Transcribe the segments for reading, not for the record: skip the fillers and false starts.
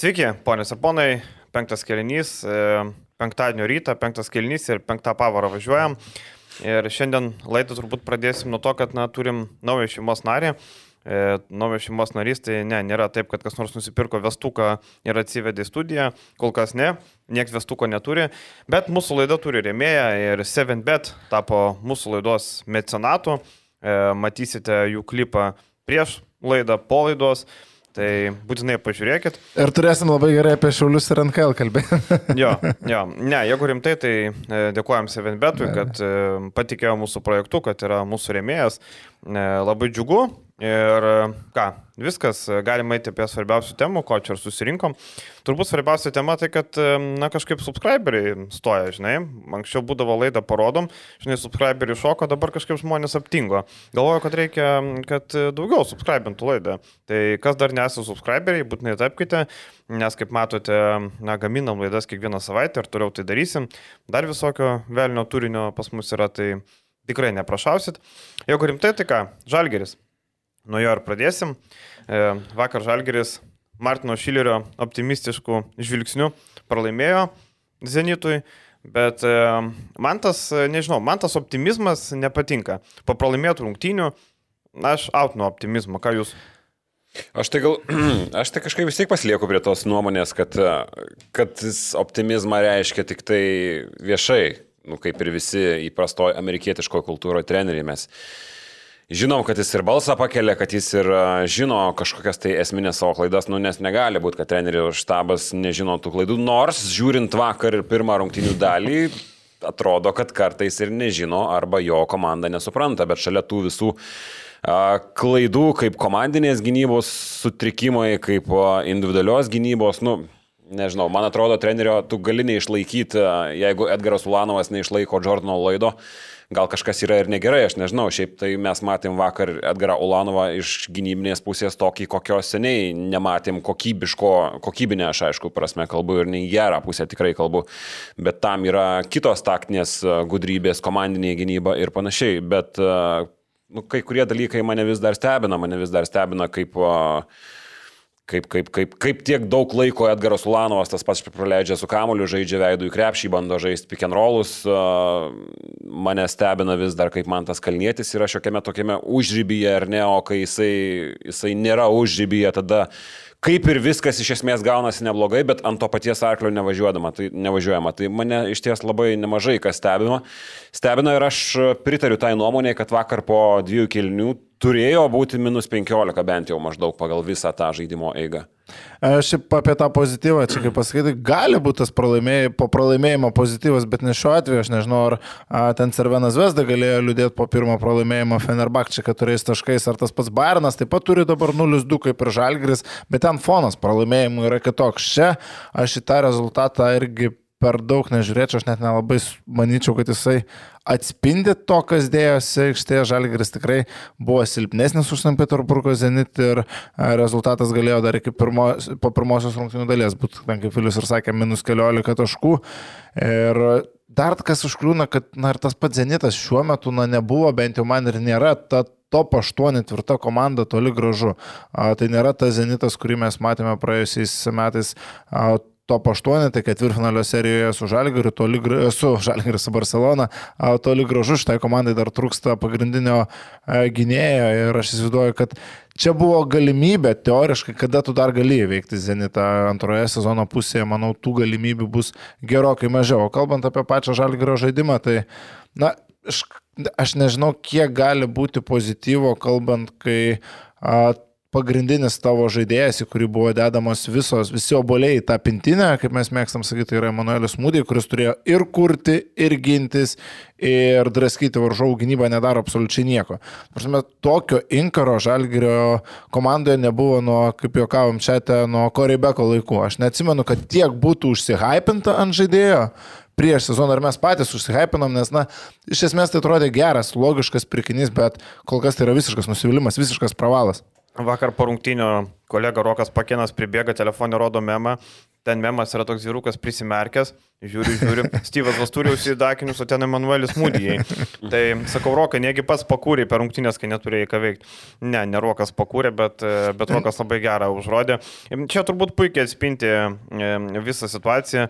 Sveiki, ponios ir ponai, penktas kėlinys, penktadienio rytą, penktas kėlinys ir penktą pavarą važiuojam. Ir šiandien laidą turbūt pradėsim nuo to, kad turim naują šeimos narį. Naujas šeimos narys, tai nėra taip, kad kas nors nusipirko vestuką ir atsivedė į studiją, kol kas ne, nieks vestuko neturi, bet mūsų laida turi rėmėją ir 7bet tapo mūsų laidos mecenatu, matysite jų klipą prieš laidą, po laidos. Tai būtinai pažiūrėkit. Ir turėsim labai gerai apie Šiaulius ir NKL kalbėti. Jo. Ne, jeigu rimtai, tai dėkojam 7betui, kad patikėjo mūsų projektu, kad yra mūsų rėmėjas. Labai džiugu. Ir ką, viskas, galima eiti apie svarbiausių temų, ko čia ir susirinkom. Turbūt svarbiausia tema tai, kad kažkaip subscriberiai stoja, žinai. Anksčiau būdavo laida parodom, žinai, subscriberiai šoko, dabar kažkaip žmonės aptingo. Galvoju, kad reikia, kad daugiau subscribintų laidą. Tai kas dar nesate subscriberiai, būtinai tapkite, nes kaip matote, gaminam laidas kiekvieną savaitę ir toliau tai darysim. Dar visokio velnio turinio pas mus yra, tai tikrai neprašausit. Jeigu rimtai, tai ką, Žalgiris. Nuo jo ir pradėsim. Vakar Žalgiris Martino Šilerio optimistiškų žvilgsnių pralaimėjo Zenitui, bet man tas optimizmas nepatinka. Po pralaimėtų rungtynių aš outnu optimizmą. Ką jūs? Aš tai kažkaip vis tiek pasilieku prie tos nuomonės, kad optimizmą reiškia tik tai viešai, kaip ir visi įprastoje amerikietiškoje kultūroje treneriai mes. Žinom, kad jis ir balsą pakelia, kad jis ir žino kažkokias tai esminės savo klaidas, nes negali būti, kad trenerių štabas nežino tų klaidų, nors žiūrint vakar ir pirmą rungtynių dalį, atrodo, kad kartais ir nežino arba jo komanda nesupranta, bet šalia tų visų klaidų, kaip komandinės gynybos sutrikimai, kaip individualios gynybos, nežinau, man atrodo, trenerio tu gali neišlaikyti, jeigu Edgaras Ulanovas neišlaiko Jordano Lloydo. Gal kažkas yra ir negerai, aš nežinau, šiaip tai mes matėm vakar Edgarą Ulanovą iš gynybinės pusės tokį, kokio seniai nematėm kokybinę, aš aišku, prasme kalbu ir ne gerą pusę tikrai kalbu, bet tam yra kitos taktinės gudrybės, komandinė gynyba ir panašiai, bet kai kurie dalykai mane vis dar stebina, kaip tiek daug laiko Edgaras Ulanovas tas pats praleidžia su kamuoliu, žaidžia veidų į krepšį, bando žaisti pick and rollus. Mane stebina vis dar, kaip man tas Kalnietis yra šiokiame tokiame užrybyje, ar ne, o kai jisai nėra užrybyje, tada kaip ir viskas iš esmės gaunasi neblogai, bet ant to paties arklio nevažiuojama. Tai mane iš ties labai nemažai kas stebina ir aš pritariu tai nuomonė, kad vakar po 2 kėlinių turėjo būti -15 bent jau maždaug pagal visą tą žaidimo eigą. Šiaip apie tą pozityvą, čia kaip pasakyti, gali būti tas po pralaimėjimo pozityvas, bet ne šiuo atveju, aš nežinau, ar ten Cervenas Zvezda galėjo liūdėti po pirmo pralaimėjimo Fenerbahče 4 taškais, ar tas pats Bayernas taip pat turi dabar 0-2 kaip ir Žalgiris, bet ten fonas pralaimėjimų yra kitoks. Čia aš į tą rezultatą irgi per daug nežiūrėčiau, aš net nelabai manyčiau, kad jisai atspindi to, kas dėjosi aikštėje. Žalgiris tikrai buvo silpnesnis už Sankt Peterburgo Zenit ir rezultatas galėjo dar iki po pirmosios rungtynių dalies būti, kaip Vilius ir sakė, -15 taškų. Ir dar kas užkliūna, kad ir tas pats Zenitas šiuo metu nebuvo, bent jau man ir nėra ta top 8 tvirta komanda toli gražu. Tai nėra tas Zenitas, kurį mes matėme praėjusiais metais top 8, tai ketvirtfinalio serijoje su Žalgiriu, su Barcelona, toli gražu šitai komandai dar trūksta pagrindinio gynėjo ir aš įsivaizduoju, kad čia buvo galimybė teoriškai, kada tu dar gali įveikti Zenitą antroje sezono pusėje, manau, tų galimybių bus gerokai mažiau. O kalbant apie pačią Žalgirio žaidimą, tai aš nežinau, kiek gali būti pozityvo, kalbant, kai pagrindinis tavo žaidėjas, į kurį buvo dedamos visi obuoliai į tą pintinę, kaip mes mėgstam sakyti, tai yra Emanuelis Mūdė, kuris turėjo ir kurti, ir gintis, ir draskyti varžovų gynybą, nedaro absoliučiai nieko. Prasme, tokio inkaro Žalgirio komandoje nebuvo kaip juokavom čia, nuo Koreibeko laikų. Aš neatsimenu, kad tiek būtų užsihypinta ant žaidėjo prieš sezoną, ir mes patys užsihypinom, nes, iš esmės tai atrodė geras, logiškas pirkinys, bet kol kas tai yra visiškas nusivylimas, visiškas pravalas. Vakar po rungtynio kolega Rokas Pakėnas pribėga, telefonė rodo memą, ten memas yra toks vyrukas prisimerkęs, žiūri, Steve'as vas turi užsidakinius, o ten Emanuelis Mūdijai. Tai sakau, Rokai, negi pats pakūrė per rungtynės, kai neturėjai ką veikti. Ne Rokas pakūrė, bet Rokas labai gerą užrodė. Čia turbūt puikiai atspinti visą situaciją.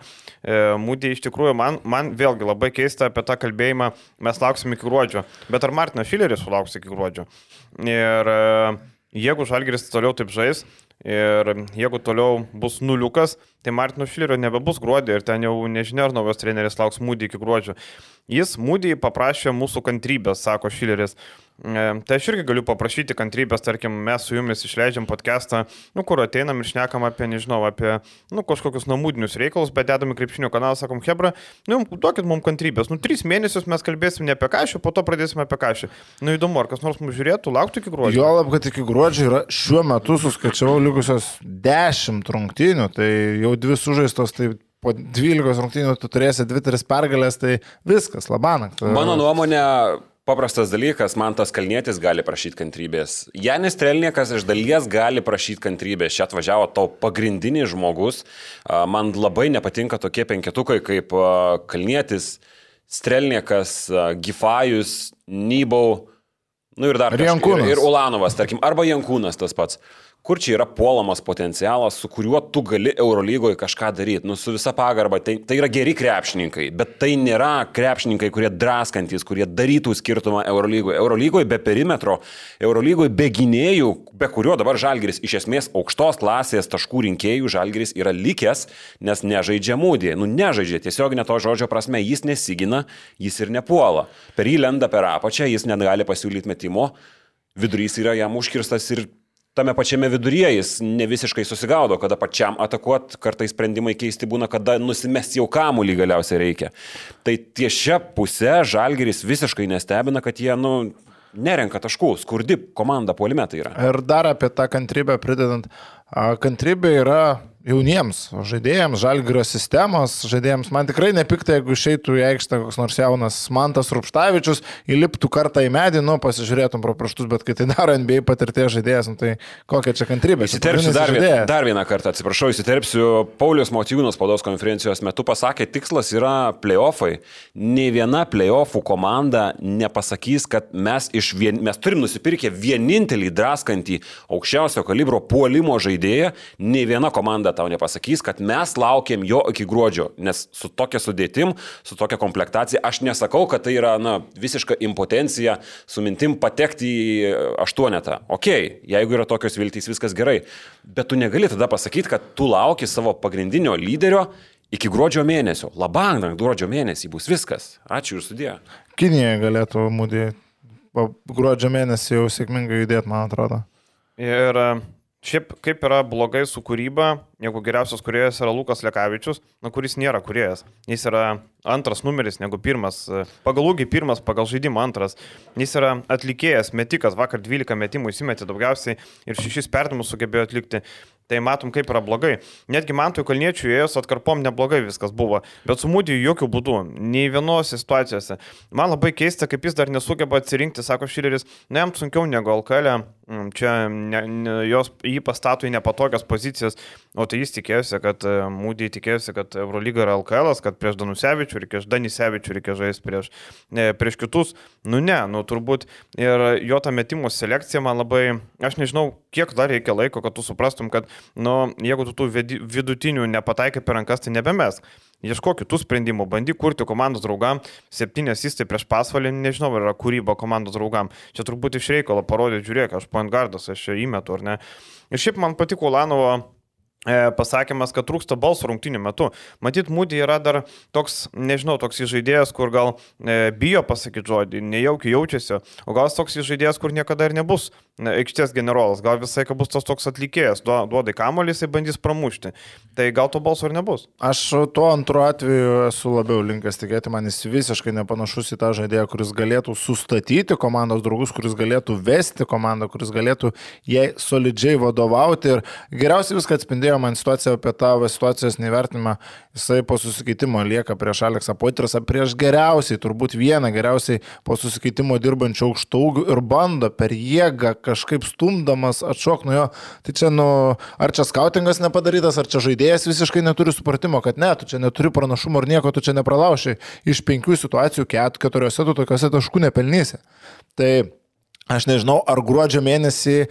Mūdijai iš tikrųjų, man vėlgi labai keista apie tą kalbėjimą, mes lauksim iki gruodžio. Bet ar Martinas Šileris sulauks iki gruodžio? Ir jeigu Žalgiris toliau taip žais ir jeigu toliau bus nuliukas, tai Martino Šilerio nebebus gruodį ir ten jau nežinia, ar naujas treneris lauks Mūdį iki gruodžio. Jis Mūdį paprašė mūsų kantrybės, sako Šileris. Tai aš irgi galiu paprašyti kantrybės, tarkim, mes su jumis išleidžiam podcastą, kur ateinam ir šnekam apie, nežinau, apie kažkokius namudinius reikalus, bet dedam į krepšinio kanalą, sakom, hebra, duokit mums kantrybės. 3 mėnesius mes kalbėsim ne apie kažį, po to pradėsim apie kažį. Įdomu, ar kas nors mums žiūrėtų, lauktų iki gruodžio. Juolab, kad iki gruodžio yra šiuo metu suskaičiavau likusios 10 rungtynių, tai jau 2 sužaistos, tai po 12 rungtynių tu turėsi 2-3 pergalės, tai viskas, labanakt. Mano nuomonė, paprastas dalykas, Mantas Kalnietis gali prašyti kantrybės. Janis Strelniekas iš dalies gali prašyti kantrybės. Čia atvažiavo tau pagrindinis žmogus. Man labai nepatinka tokie penketukai kaip Kalnietis, Strelniekas, Gifajus, Nybau, ir dar kažkas. Ir Ulanovas, tarkim, arba Jankūnas tas pats. Kur čia yra puolamas potencialas, su kuriuo tu gali Eurolygoje kažką daryti. Su visa pagarba, tai yra geri krepšininkai, bet tai nėra krepšininkai, kurie draskantys, kurie darytų skirtumą Eurolygoje. Eurolygoje be perimetro, Eurolygoje be gynėjų, be kurio dabar Žalgiris iš esmės aukštos klasės taškų rinkėjų Žalgiris yra likęs, nes nežaidžia Mūdį. Nežaidžia, tiesiog ne to žodžio prasme, jis nesigina, jis ir nepuola. Per jį lenda per apačią, jis negali pasiūlyti metimo, vidurys yra jam užkirstas ir tame pačiame viduryje jis ne visiškai susigaudo, kada pačiam atakuot, kartais sprendimai keisti būna, kada nusimesti jau kamuolį galiausiai reikia. Tai tiešia pusė Žalgiris visiškai nestebina, kad jie, nerenka taškų, skurdi komanda puolime tai yra. Ir dar apie tą kantrybę pridedant, kantrybė yra jauniems žaidėjams, Žalgirio sistemos žaidėjams. Man tikrai nepikta, jeigu išeitų į aikštę koks nors jaunas Mantas Rupštavičius, įliptų kartą į medį, pasižiūrėtum pro pirštus, bet kai tai daro NBA patirties žaidėjas, tai kokia čia kantrybė. Įsiterpsiu dar vieną kartą, įsiterpsiu. Paulius Motiejūnas spaudos konferencijos metu pasakė, tikslas yra play-offai. Nei viena play-offų komanda nepasakys, kad mes turim nusipirkę vienintelį draskantį aukščiausio kalibro puolimo žaidėją, nei viena komanda tau nepasakys, kad mes laukiam jo iki gruodžio, nes su tokia sudėtim, su tokia komplektacija, aš nesakau, kad tai yra visiška impotencija su mintim patekti į 8. Okei, jeigu yra tokios viltys, viskas gerai, bet tu negali tada pasakyti, kad tu lauki savo pagrindinio lyderio iki gruodžio mėnesio. Labang, gruodžio mėnesį bus viskas. Ačiū ir sudė. Kinija galėtų Mūdį gruodžio mėnesį jau sėkmingai judėti, man atrodo. Ir šiaip kaip yra blogai su kūryba, jeigu geriausias kūrėjas yra Lukas Lekavičius, kuris nėra kūrėjas. Jis yra antras numeris negu pirmas, pagal ūgį pirmas, pagal žaidimą antras. Jis yra atlikėjas, metikas, vakar 12 metimų įsimetė daugiausiai ir 6 perdavimus sugebėjo atlikti. Tai matom, kaip yra blogai. Netgi Mantui Kalniečiui ėjus atkarpom neblogai viskas buvo, bet su Mūdiju jokių būdų, nei vienose situacijose. Man labai keista, kaip jis dar nesugeba atsirinkti, sako Šileris, jam sunkiau negu LKL, čia jį pastato į nepatogias pozicijas, o tai jis tikėjosi, kad Mūdijai tikėjosi, kad Eurolyga yra LKL, kad prieš Danisevičių reikia žaisti prieš kitus. Turbūt ir jo ta metimų selekcija man labai, aš nežinau, kiek dar reikia laiko, kad tu suprastum, kad jeigu tu tų vidutinių nepataikai per rankas, tai nebemesk. Ieškok kitų sprendimų, bandyk kurti komandos draugam, 7 asistai prieš Pasvalį, nežinau, ar yra kūryba komandos draugam. Čia turbūt iš reikalo parodė, žiūrėk, aš point guardas, aš čia įmetu, ar ne. Ir šiaip man patiko Ulanovo pasakymas, kad trūksta balso rungtynių metu. Matyt, Mūdį yra dar toks, nežinau, toks žaidėjas, kur gal bijo pasakyti žodį, nejaukiai jaučiasi, o gal toks žaidėjas, kur niekada ir nebus aikštės generolas, gal visai, kad bus tas toks atlikėjas, duodai kamuolį, jisai bandys pramušti. Tai gal to balso ir nebus. Aš tuo antru atveju esu labiau linkęs tikėti, man jis visiškai nepanašus į tą žaidėją, kuris galėtų sustatyti komandos draugus, kuris galėtų vesti komandą, kuris galėtų jai solidžiai vadovauti ir geriausiai viską atspindėjo pagerėjo man situacija apie tavo situacijos nevertinimą, jisai po susikeitimo lieka prieš Aleksą Poitrasą, prieš geriausiai, turbūt vieną geriausiai po susikeitimo dirbančių aukštaūgių ir bando per jėgą kažkaip stumdamas atšok nuo jo. Tai čia, ar čia skautingas nepadarytas, ar čia žaidėjas visiškai neturi supratimo, kad ne, tu čia neturi pranašumo ir nieko, tu čia nepralaušiai. Iš 5 situacijų 4 tu tokiuose taškų nepelnysi. Tai aš nežinau, ar gruodžio mėnesį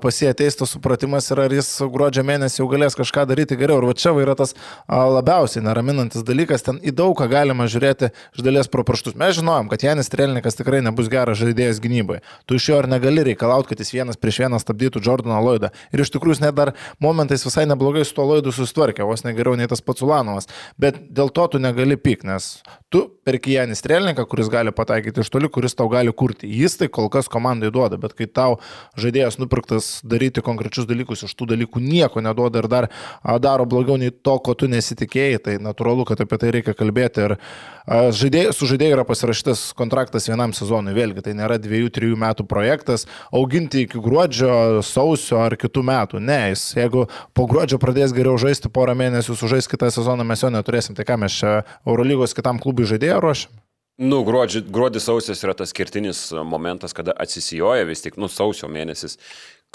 pas jį ateis tas supratimas ir ar jis gruodžio mėnesį jau galės kažką daryti geriau. Ir va čia yra tas labiausiai neraminantis dalykas, ten į daug ką galima žiūrėti iš dalies pro pirštus. Mes žinojom, kad Janis Strelnikas tikrai nebus geras žaidėjas gynyboje. Tu iš jo ir negali reikalauti, kad jis 1-1 stabdytų Jordaną Lloydą. Ir iš tikrųjų jis net dar momentais visai neblogai su to Lloydu susitvarkė, vos negeriau nei tas pats Ulanovas. Bet dėl to tu negali pyk, nes tu perki Janį Strelniką, kuris gali pataikyti iš toli, kuris tau gali kurti. Jis tai kol kas komandai duoda, bet kai tau žaidėjas nupirktas daryti konkrečius dalykus, iš tų dalykų nieko neduoda ir dar daro blogiau nei to, ko tu nesitikėjai, tai natūralu, kad apie tai reikia kalbėti. Ir su žaidėju yra pasirašytas kontraktas vienam sezonui, vėlgi tai nėra 2-3 metų projektas, auginti iki gruodžio, sausio ar kitų metų. Ne, jeigu po gruodžio pradės geriau žaisti porą mėnesių, sužais kitą sezoną, mes jo neturėsim. Tai ką mes čia Eurolygos kitam klubui žaidėją ruošiam? Gruodis sausis yra tas skirtinis momentas, kada atsisijoja vis tik, sausio mėnesis,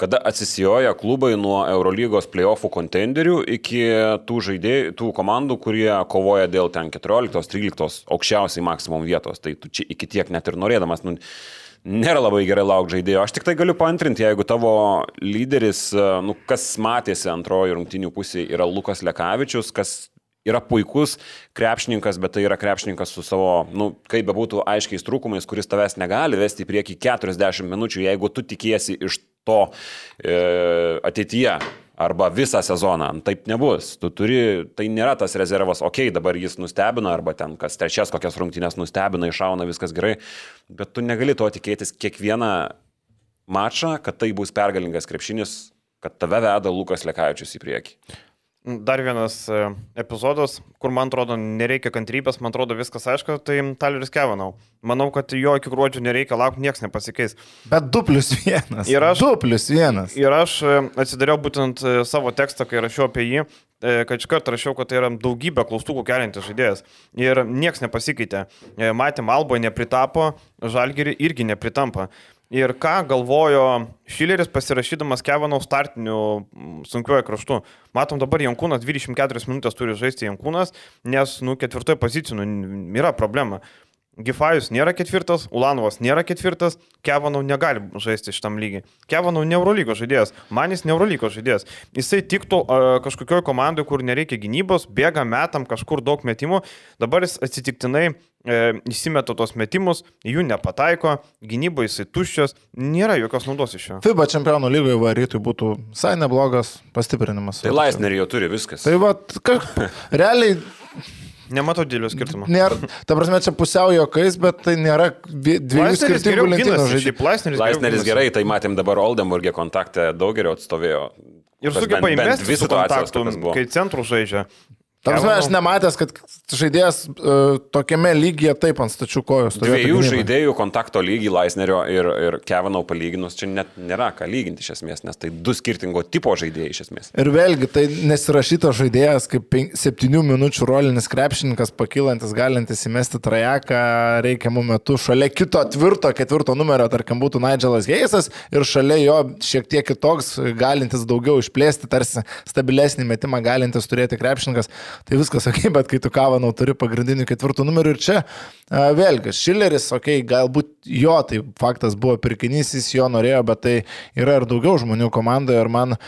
kada atsisijoja klubai nuo Eurolygos playoffų kontenderių iki tų komandų, kurie kovoja dėl ten 14-13 aukščiausiai maksimum vietos. Tai tu čia iki tiek net ir norėdamas, nėra labai gerai laukti žaidėjo. Aš tik tai galiu paantrinti, jeigu tavo lyderis, kas matėsi antrojo rungtynių pusėje, yra Lukas Lekavičius, kas yra puikus krepšininkas, bet tai yra krepšininkas su savo, kaip bebūtų aiškiais trūkumais, kuris tavęs negali vesti į priekį 40 minučių, jeigu tu tikiesi iš to ateityje arba visą sezoną. Taip nebus. Tai nėra tas rezervas, dabar jis nustebina, arba ten kas trečias kokias rungtynės nustebina, iššauna, viskas gerai, bet tu negali to tikėtis kiekvieną mačą, kad tai bus pergalingas krepšinis, kad tave veda Lukas Lekavičius į priekį. Dar vienas epizodas, kur man atrodo nereikia kantrybės, man atrodo viskas aišku, tai Tyleris Kevanau. Manau, kad jo iki gruodžio nereikia laukti, niekas nepasikeis. Bet 2+1. Ir 2+1. Ir aš atsidariau būtent savo tekstą, kai rašiau apie jį, kad iš karto rašiau, kad tai yra daugybė klaustukų keliantis žaidėjas. Ir niekas nepasikeitė. Matėm, Alboje nepritapo, Žalgirį irgi nepritampa. Ir ką galvojo Šileris pasirašydamas Kevanau startinių sunkiuoju kraštu. Matom dabar Jankūnas 24 minutės turi žaisti Jankūnas, nes 4 pozicijų yra problema. Gifajus nėra 4, Ulanovas nėra 4, Kevanau negali žaisti šitam lygiai. Kevanau ne Eurolygos žaidėjas, Manis ne Eurolygos žaidėjas. Jisai tiktų kažkokioj komandai, kur nereikia gynybos, bėga metam kažkur daug metimų, dabar jis atsitiktinai įsimeta tos metimus, jų nepataiko, gynyboje jisai tuščias, nėra jokios naudos iš jo. FIBA čempionų lygoje varytui būtų visai neblogas pastiprinimas. Tai Laisnerį jau turi viskas. Tai realiai nematau didelio skirtumo. Ta prasme, čia pusiau jokais, bet tai nėra dviejų skirtingų lentynų žaidėjų. Laisneris gerai, tai matėm dabar Oldenburgė kontaktą daug geriau atstovėjo. Ir sugeba įmesti visų kontaktų, kai centrų žaidžia. Ta prasme, aš nematęs, kad žaidėjas tokiame lygyje taip ant stačių kojos. Dviejų žaidėjų kontakto lygį Laisnerio ir Kevanau palyginus, čia net nėra ką lyginti iš esmės, nes tai 2 skirtingo tipo žaidėjai iš esmės. Ir vėlgi, tai nesirašytas žaidėjas kaip 7 minučių rolinis krepšininkas, pakylantis, galintis įmesti trajeką reikiamų metų. Šalia kito tvirto, 4 numerio, tarkim, būtų Nigelas Hayesas ir šalia jo šiek tiek kitoks, galintis daugiau išplėsti, tarsi stabilesnį metimą galintis turėti krepšininkas. Tai viskas, bet kai tu Kevanau turi pagrindinių 4 numerių ir čia vėlgi, Šileris, galbūt jo, tai faktas buvo pirkinys, jis jo norėjo, bet tai yra ir daugiau žmonių komandoje ir man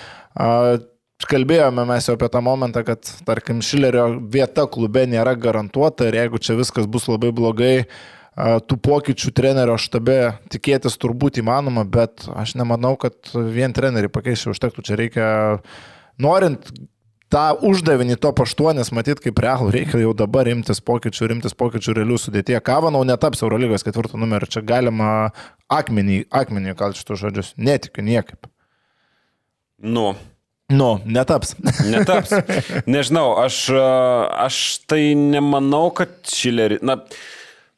kalbėjome mes jau apie tą momentą, kad, tarkim, Šilerio vieta klube nėra garantuota ir jeigu čia viskas bus labai blogai, tų pokyčių trenerio štabe tikėtis turbūt įmanoma, bet aš nemanau, kad vien trenerį pakeisti užtektų, čia reikia, norint tą uždavinį top 8 matyti kaip realų, reikia jau dabar rimtis pokyčių realių sudėtyje. Kevanau netaps Eurolygos 4 numerį, čia galima akmenį kalti šitus žodžius, netikiu niekaip. Netaps. Netaps. Nežinau, aš tai nemanau, kad Šilerį,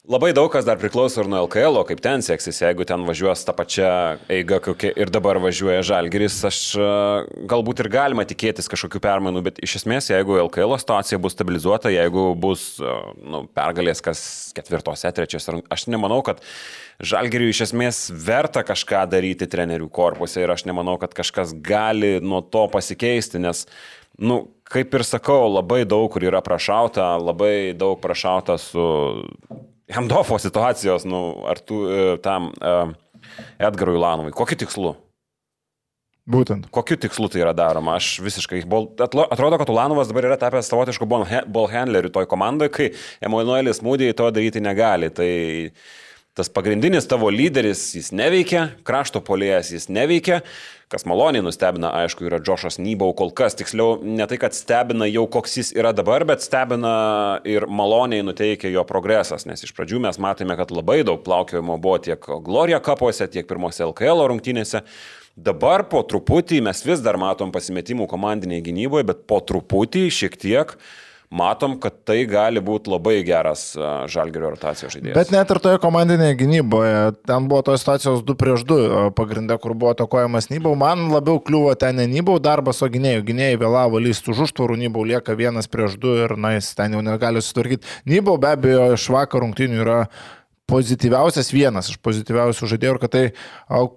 Labai daug kas dar priklauso ir nuo LKL, kaip ten seksis, jeigu ten važiuos tą pačią eigą, kokia ir dabar važiuoja Žalgiris, aš galbūt ir galima tikėtis kažkokių permainų, bet iš esmės, jeigu LKL situacija bus stabilizuota, jeigu bus pergalės kas 4, 3, aš nemanau, kad Žalgiriui iš esmės verta kažką daryti trenerių korpuse ir aš nemanau, kad kažkas gali nuo to pasikeisti, nes, kaip ir sakau, labai daug kur yra prašauta, labai daug prašauta su Hemdofo situacijos, ar tu tam Edgarui Ulanovui. Kokiu tikslu? Būtent. Kokiu tikslu tai yra daroma? Aš visiškai... Atrodo, kad Ulanovas dabar yra tapęs savotišku ball handleriu toj komandoje, kai Emanuelis Mūdijai to daryti negali. Tai tas pagrindinis tavo lyderis, jis neveikia, krašto puolėjas jis neveikia. Kas maloniai nustebina, aišku, yra Džošas Nybau kol kas. Tiksliau, ne tai, kad stebina jau koks jis yra dabar, bet stebina ir maloniai nuteikia jo progresas, nes iš pradžių mes matėme, kad labai daug plaukiojimo buvo tiek Gloria kapuose, tiek pirmose LKL rungtynėse. Dabar po truputį mes vis dar matom pasimetimų komandinėje gynyboje, bet po truputį šiek tiek matom, kad tai gali būti labai geras Žalgirio rotacijos žaidėjas. Bet net ir toje komandinėje gynyboje, ten buvo tos situacijos 2-2 pagrinde, kur buvo atakuojamas Nybau. Man labiau kliuvo ten ne Nybau darbas, o gynėjų. Gynėjai vėlavo lysti už užtvarų, Nybau lieka 1-2 ir jis ten jau negali sutvarkyti. Nybau be abejo iš vakar rungtynių yra pozityviausias, vienas iš pozityviausių žaidėjų ir kad tai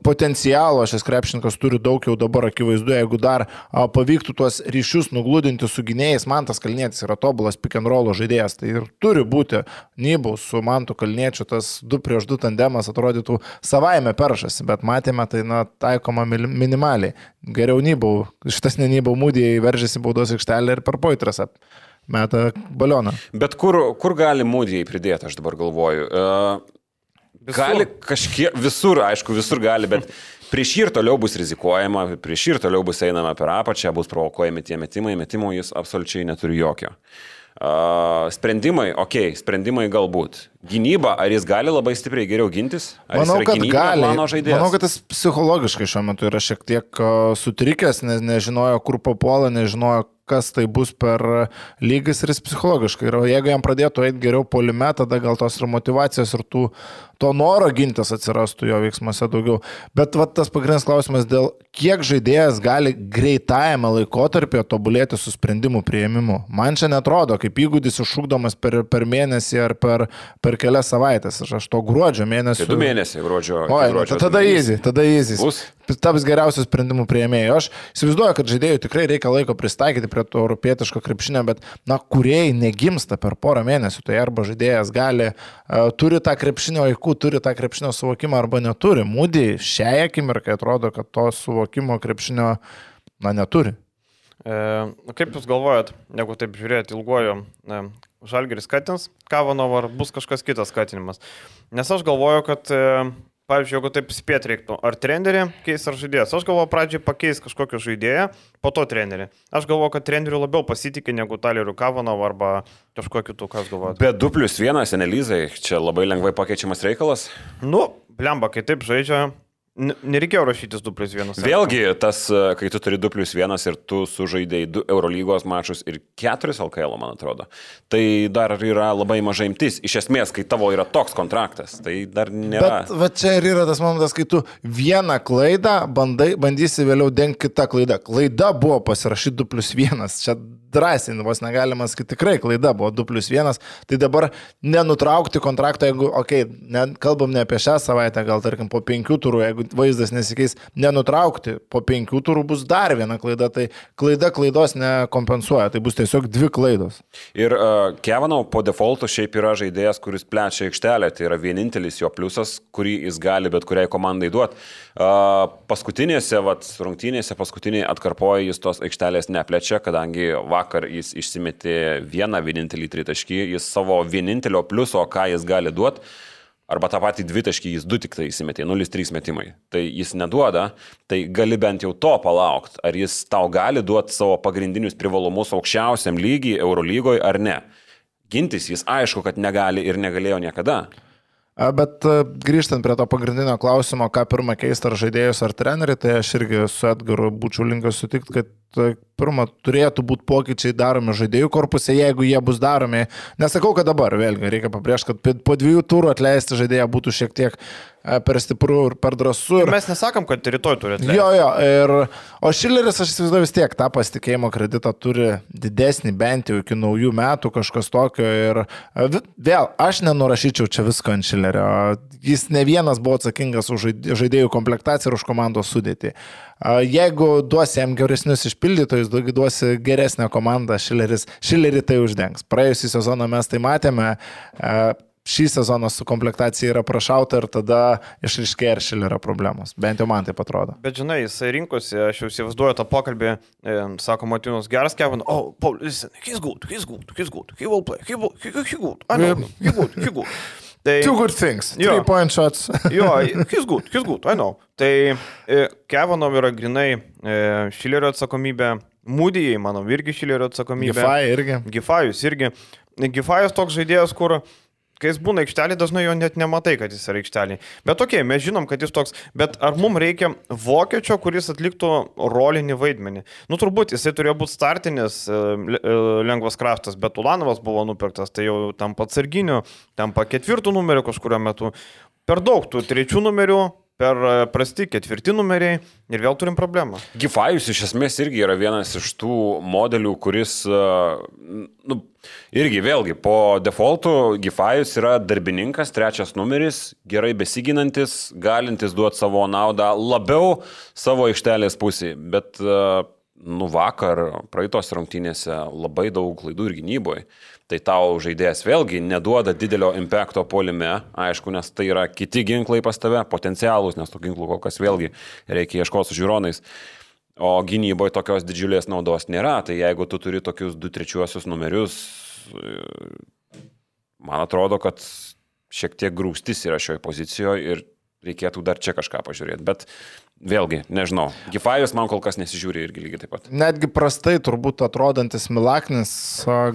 potencialo šis krepšininkas turi daug jau dabar akivaizdu, jeigu dar pavyktų tuos ryšius nugludinti su gynėjais. Mantas Kalnietis yra tobulas pick and roll žaidėjas, tai ir turi būti Nybau su Mantu Kalniečiu, tas 2-2 tandemas atrodytų savaime peršasi, bet matėme tai taikoma minimaliai. Geriau Nybau, šitas ne Nybau Mūdijai veržėsi baudos aikštelę ir per poitras meta balioną. Bet kur gali Mūdijai pridėti, aš dabar galvoju? Gali kažkiek, visur gali, bet prieš jį ir toliau bus rizikuojama, prieš jį ir toliau bus einama per apačią, bus provokuojami tie metimų jis absoliučiai neturi jokio. Sprendimai galbūt. Gynyba, ar jis gali labai stipriai geriau gintis? Manau, kad gali. Manau, kad jis psichologiškai šiuo metu yra šiek tiek sutrikęs, nežinojo, kur papuola, nežinojo, kas tai bus per lygis ir jis psichologiškai. Ir jeigu jam pradėtų eiti geriau puolime, tada gal tos ir motyvacijos ir to noro gintis atsirastų jo veiksmuose daugiau. Bet tas pagrindinis klausimas dėl kiek žaidėjas gali greitajame laikotarpyje tobulėti su sprendimų priėmimu. Man čia netrodo, kaip įgūdis iššūkdomas per mėnesį ar per kelias savaitės. Aš to gruodžio mėnesį. Tai 2 mėnesiai gruodžio. Tada easy. Taps geriausias sprendimų priėmėjų. Aš įsivaizduoju, kad žaidėjų tikrai reikia laiko pristaikyti prie to europietiško krepšinio, bet kūrėjai negimsta per porą mėnesių. Tai arba žaidėjas turi tą krepšinio aikų, turi tą krepšinio suvokimą arba neturi. Mūdijai šiai akimirkai atrodo, kad to suvokimo krepšinio neturi. Kaip jūs galvojat, jeigu taip žiūrėt ilguoju, Žalgiris skatins Kavanovą, ar bus kažkas kitas skatinimas? Nes aš galvoju, kad pavyzdžiui, jeigu taip spėt reiktų, ar trenerį keis ar žaidėjas. Aš galvoju, pradžiai pakeis kažkokį žaidėją, po to trenerį. Aš galvoju, kad trenerių labiau pasitikė negu Taleriu Kavanovu arba kažkuo kitų, kas galvoja. Bet 2+1 analizai, čia labai lengvai pakeičiamas reikalas. Blemba, kai taip žaidžia, nereikėjo rašytis 2+1. Vėlgi, kai tu turi 2+1 ir tu sužaidėjai 2 Eurolygos mačus ir 4 LKL, man atrodo, tai dar yra labai mažai imtis. Iš esmės, kai tavo yra toks kontraktas, tai dar nėra. Bet čia ir yra tas momentas, kai tu vieną klaidą bandysi vėliau dengti kitą klaidą. Klaida buvo pasirašyti 2+1. Čia drąsiai, vos negalima sakyti, tikrai klaida buvo 2+1. Tai dabar nenutraukti kontraktą, jeigu, kalbam ne apie šią savaitę, gal tarkim po 5 turų, jeigu vaizdas nesikeis, nenutraukti, po 5 turų bus dar viena klaida, tai klaida klaidos nekompensuoja, tai bus tiesiog 2 klaidos. Ir Kavanau po defaulto šiaip yra žaidėjas, kuris plečia aikštelę, tai yra vienintelis jo pliusas, kurį jis gali bet kuriai komandai duoti. Paskutinėse rungtynėse, paskutiniai atkarpoje jis tos aikštelės neplečia, kadangi vakar jis išsimetė vienintelį tritaškį, jis savo vienintelio pliuso, ką jis gali duoti, arba tą patį 2 taškį jis 2 tik tai įsimetė, 0-3 metimai. Tai jis neduoda, tai gali bent jau to palaukti. Ar jis tau gali duoti savo pagrindinius privalumus aukščiausiam lygiai Eurolygoje ar ne. Gintis jis aišku, kad negali ir negalėjo niekada. Bet grįžtant prie to pagrindinio klausimo, ką pirmą keisti ar žaidėjus ar trenerių, tai aš irgi su Edgaru būčiau linkęs sutikti, kad pirma, turėtų būti pokyčiai daromi žaidėjų korpuse, jeigu jie bus daromi. Nesakau, kad dabar, vėlgi, reikia pabrėžti, kad po 2 turų atleisti žaidėją būtų šiek tiek per stiprų ir per drąsų. Ir mes nesakom, kad rytoj turi atleisti. Jo, o Šileris, aš įsivaizduoju, vis tiek tą pasitikėjimo kreditą turi didesnį, bent jau iki naujų metų, kažkas tokio. Ir vėl, aš nenurašyčiau čia visko ant Šilerio. Jis ne vienas buvo atsakingas už žaidėjų komplektaciją ir už komandos sudėtį. Jeigu duosi jam geresnius išpildytojus, duosi geresnę komandą, Šilerį tai uždengs. Praėjusį sezoną mes tai matėme, šį sezoną su komplektacija yra prašauta ir tada išryškėja ir Šilerio problemos. Bent jau man taip atrodo. Bet žinai, jisai rinkosi, aš jau įsivaizduoju tą pokalbį, sako Martynas, geras Kevin, Paul, listen, he's good, he will play, he good, I know, he good. Tai, 2 good things, 3-point shots. Jo, he's good, I know. Tai Kevinov yra grinai Šilerio atsakomybė, Mūdijai, manau, irgi Šilerio atsakomybė. Gifai irgi. Gifajus irgi. Gifajus toks žaidėjas, kur kai jis būna aikštelį, dažnai jo net nematai, kad jis yra aikštelį. Bet okei, mes žinom, kad jis toks, bet ar mums reikia vokiečio, kuris atliktų rolinį vaidmenį? Nu, turbūt jisai turėjo būti startinis lengvas kraštas, bet Ulanovas buvo nupirktas, tai jau tampa atsarginiu, tampa 4 numeriu kažkurio metu. Per daug tų 3 numerių, per prasti 4 numeriai ir vėl turim problemą. Gifajus iš esmės irgi yra vienas iš tų modelių, kuris, irgi vėlgi, po defaultų Gifajus yra darbininkas, 3 numeris, gerai besiginantis, galintis duoti savo naudą labiau savo aikštelės pusėje, bet vakar praeitos rungtynėse labai daug klaidų ir gynyboje. Tai tau žaidėjas vėlgi neduoda didelio impacto puolime, aišku, nes tai yra kiti ginklai pas tave, potencialūs, nes tų ginklų kol kas vėlgi reikia ieškoti su žiūronais. O gynyboje tokios didžiulės naudos nėra, tai jeigu tu turi tokius 2-3 numerius, man atrodo, kad šiek tiek grūstis yra šioje pozicijoje ir reikėtų dar čia kažką pažiūrėti. Bet vėlgi, nežinau, Gifajus man kol kas nesižiūri irgi lygiai taip pat. Netgi prastai turbūt atrodantis Milaknis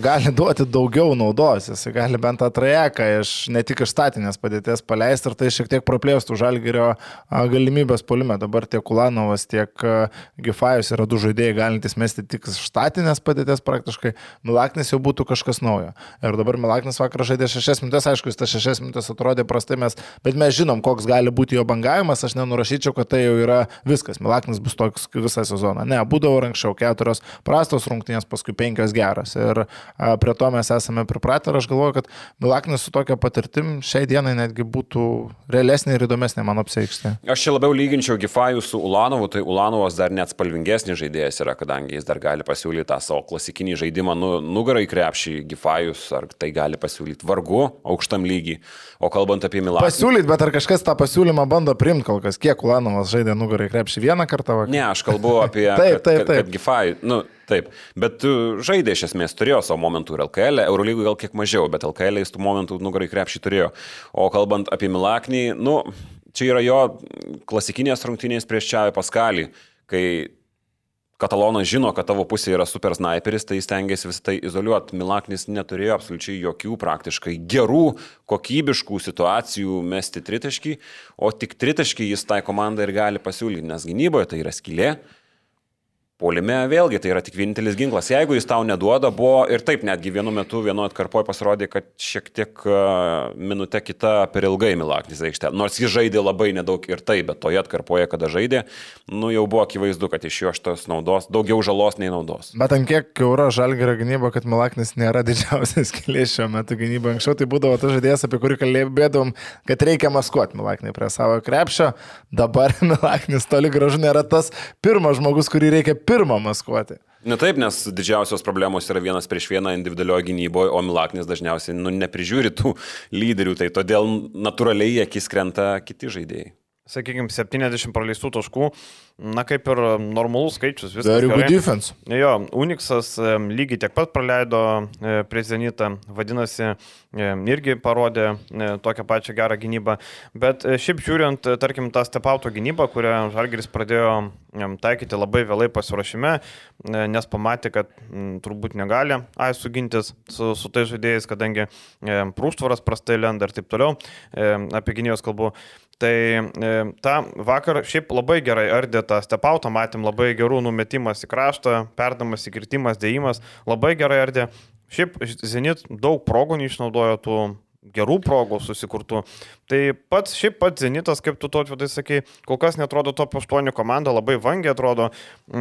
gali duoti daugiau naudos, jis gali bent tą trajeką ne tik iš statinės padėties paleisti ir tai šiek tiek praplėstų Žalgirio galimybės puolime. Dabar tiek Ulanovas, tiek Gifajus yra 2 žaidėjai galintys mesti tik iš statinės padėties praktiškai. Milaknis jau būtų kažkas naujo. Ir dabar Milaknis vakar žaidė 6 minutės, aišku, jis tas 6 minutės atrodė prastai, bet mes žinom, koks gali būti jo bangavimas, aš nenurašyčiau, kad tai jau yra viskas, Milaknis bus toks visą sezoną. Ne, būdavo anksčiau 4 prastos rungtynės, paskui 5 geras. Ir prie to mes esame pripratę ir aš galvoju, kad Milaknis su tokia patirtim šiai dienai netgi būtų realesnė ir įdomesnė mano apsiaikštė. Aš čia labiau lyginčiau Gifajų su Ulanovu, tai Ulanovas dar net spalvingesnis žaidėjas yra, kadangi jis dar gali pasiūlyti tą savo klasikinį žaidimą nugarą į krepšį. Gifajus ar tai gali pasiūlyti vargu aukštam lygiai. O kalbant apie Milaknį. Pasiūlyti, bet ar kažkas tą pasiūlymą bando priimti kol kas? Kiek Ulanovas žaidė nugarą į krepšį 1 kartą vakar? Ne, aš kalbu apie kad Gifajų, taip, bet žaidė iš esmės, turėjo savo momentų ir LKL, Eurolygų gal kiek mažiau, bet LKL jis tų momentų nugarą į krepšį turėjo. O kalbant apie Milaknį, čia yra jo klasikinės rungtynės prieš Čiavį Paskalį, kai Katalonas žino, kad tavo pusė yra super sniperis, tai jis stengiasi visą tai izoliuoti. Milaknis neturėjo absoliučiai jokių praktiškai gerų, kokybiškų situacijų mesti tritaškį, o tik tritaškį jis tai komandai ir gali pasiūlyti, nes gynyboje tai yra skylė. Puolime vėlgi tai yra tik vienintelis ginklas. Jeigu jis tau neduoda, buvo ir taip netgi vienu metu, vienu atkarpoje pasirodė, kad šiek tiek minutė kita per ilgai Milaknis aikštė. Nors jis žaidė labai nedaug ir taip, bet toje atkarpoje, kada žaidė, jau buvo akivaizdu, kad iš jo šitos naudos daugiau žalos nei naudos. Bet ant kiek euro Žalgirio gynyba, kad Milaknis nėra didžiausias skylė šiuo metu gynyba. Anksčiau tai būdavo tas žaidėjas, apie kurį kalbėdavom, kad reikia maskuoti Milaknį prie savo krepšio. Dabar Milaknis toli gražu nėra tas pirmas žmogus, kurį reikia pirmą maskuoti. Ne taip, nes didžiausios problemos yra 1-1 individualioje gynyboje, o Milaknis dažniausiai neprižiūri tų lyderių, tai todėl natūraliai akis krenta kiti žaidėjai. Sakykime, 70 praleistų taškų, kaip ir normalus skaičius. Very good defense. Jo, Unixas lygiai tiek pat praleido prieš Zenitą, vadinasi, irgi parodė tokią pačią gerą gynybą. Bet šiaip žiūrint, tarkim, tą stepauto gynybą, kurią Žalgiris pradėjo taikyti labai vėlai pasiruošime, nes pamatė, kad turbūt negali sugintis su tais žaidėjais, kadangi prūštvaras prastai lenda ir taip toliau, apie gynėjos kalbu. Tai ta vakar šiaip labai gerai ardė tą stepautą, matėm labai gerų numetimas į kraštą, perdamas įkirtimas, dėjimas, labai gerai ardė. Šiaip Zenit daug progų neišnaudojo tų gerų progų susikurtų. Tai pats Zenitas, kaip tu Tautvydai sakei, kol kas netrodo top 8 komanda, labai vangiai atrodo.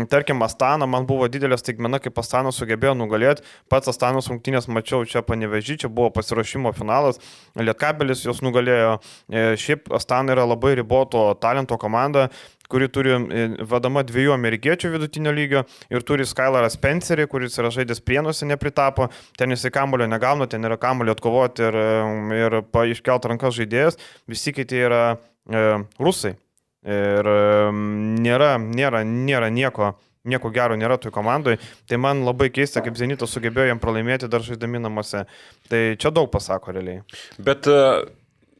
Tarkim, Astana, man buvo didelė staigmena, kaip Astana sugebėjo nugalėti. Pats Astanos rungtynės mačiau čia Panevėžy, čia buvo pasiruošimo finalas, Lietkabelis jos nugalėjo. Šiaip Astana yra labai riboto talento komanda, kuri turi vadama 2 amerikiečių vidutinio lygio ir turi Skylarą Spencerį, kuris yra žaidęs Prienuose, nepritapo, ten jisai kamulio negauna, ten yra kamulio atkovoti ir iškelt rankas žaidėjas, visi kiti yra rusai. Ir nėra nieko gero nėra toj komandai, tai man labai keista, kaip Zenitas sugebėjo jam pralaimėti dar žaidami namuose. Tai čia daug pasako realiai. Bet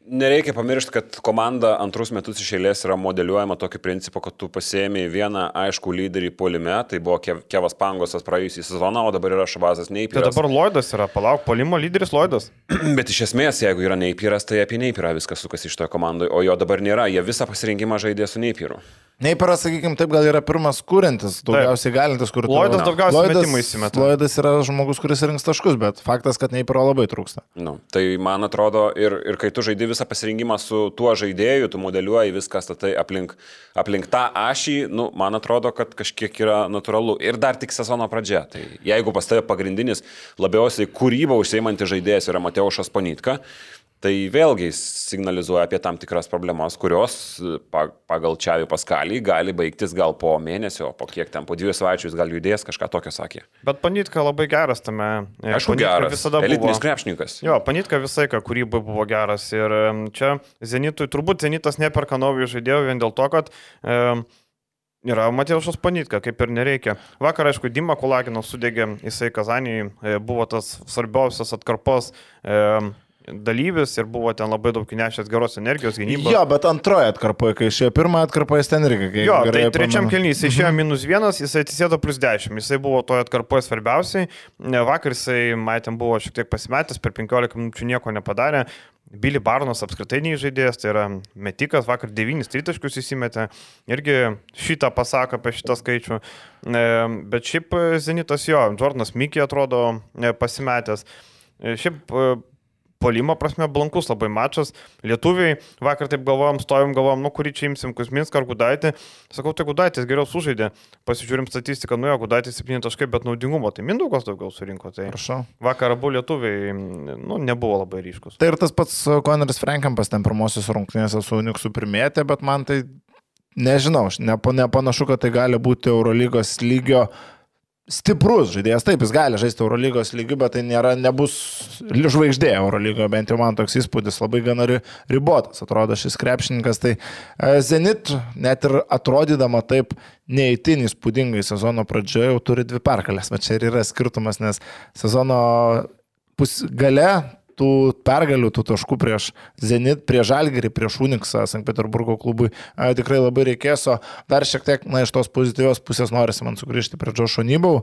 nereikia pamiršti, kad komanda antrus metus iš eilės yra modeliuojama tokiu principu, kad tu pasiėmė vieną aišku lyderį puolime, tai buvo Kevas Pangosas praėjusį sezoną, o dabar yra Šabazas Neipiras. Tai dabar Lloydas yra, palauk, puolimo lyderis Lloydas. Bet iš esmės, jeigu yra Neipiras, tai apie Neipirą viskas sukasi iš toje komandoje, o jo dabar nėra, jie visą pasirinkimą žaidė su Neipiru. Neipiras, sakykime, taip gal yra pirmas kūrintis, daugiausiai galintis, kur Lloydas daugiausiai metimą įsimeta. Lloydas yra žmogus, kuris rinks taškus, bet faktas, kad Neipiro labai trūksta. Tai man atrodo, ir kai tu žaidži visą pasirinkimą su tuo žaidėju, tu modeliuoji viską statai aplink tą ašį, man atrodo, kad kažkiek yra natūralu. Ir dar tik sezono pradžia. Tai jeigu pas tave pagrindinis labiausiai kūrybą užsiimantis žaidėjas yra Mateušas Ponitka, tai vėlgi signalizuoja apie tam tikras problemas, kurios pagal Čiavį Paskalį gali baigtis gal po mėnesio, po kiek ten, po 2 savaičių jis gal judės, kažką tokio sakė. Bet Panitka labai geras tame. Aišku, geras, elitinis krepšininkas. Jo, Panitka visai, ką kūrybai buvo geras. Ir čia Zenitui, turbūt Zenitas neperka naujų žaidėjų vien dėl to, kad yra Mateušas Panitka, kaip ir nereikia. Vakar, aišku, Dima Kulaginas sudegė, jisai Kazanijai buvo tas svarbiausias atkarpos dalyvis ir buvo ten labai daug įnešęs geros energijos gynybos. Jo, bet antroje atkarpoje, kai išėjo pirmąją atkarpoje, jis ten irgi. Jo, tai trečiam kelnys jis išėjo -1, jisai atsisėdo +10, jisai buvo toje atkarpoje svarbiausiai. Vakar jisai, matėm, buvo šiek tiek pasimetęs, per 15 minučių nieko nepadarė. Billy Barnas apskritai neįžaidėjas, tai yra metikas, vakar 9 tritaškius įsimetė, irgi šitą pasako apie šitą skaičių. Bet šiaip Zenitas jo, Jordanas Mickey atrodo pasimetęs. Šiaip puolimo prasme blankus labai mačas. Lietuviai vakar taip stovim galvojom, kurį čia imsim, Kuzminską ar Gudaitį. Sakau, tai Gudaitis geriau sužaidė. Pasižiūrim statistiką, jo, Gudaitis 7 taškai, bet naudingumo, tai Mindaugas daugiau surinko. Tai prašau. Vakar abu lietuviai nebuvo labai ryškus. Tai ir tas pats Koneris Frankampas ten pirmosios rungtynėse su Uniksu primėtė, bet man tai nežinau, nepanašu, kad tai gali būti Eurolygos lygio stiprus žaidėjas. Taip, jis gali žaisti Eurolygos lygiu, bet tai nebus žvaigždė Eurolygoje, bent jau man toks įspūdis, labai gana ribotas atrodo šis krepšininkas. Tai Zenit, net ir atrodydama taip neįtin įspūdingai sezono pradžioje, jau turi 2 pergalės, bet čia ir yra skirtumas, nes sezono gale tų pergalių, tų taškų prieš Zenit, prieš Žalgirį, prieš Uniksą, Sankt Peterburgo klubui tikrai labai reikės, o dar šiek tiek iš tos pozityvios pusės norisi man sugrįžti prie Džošo Nybau.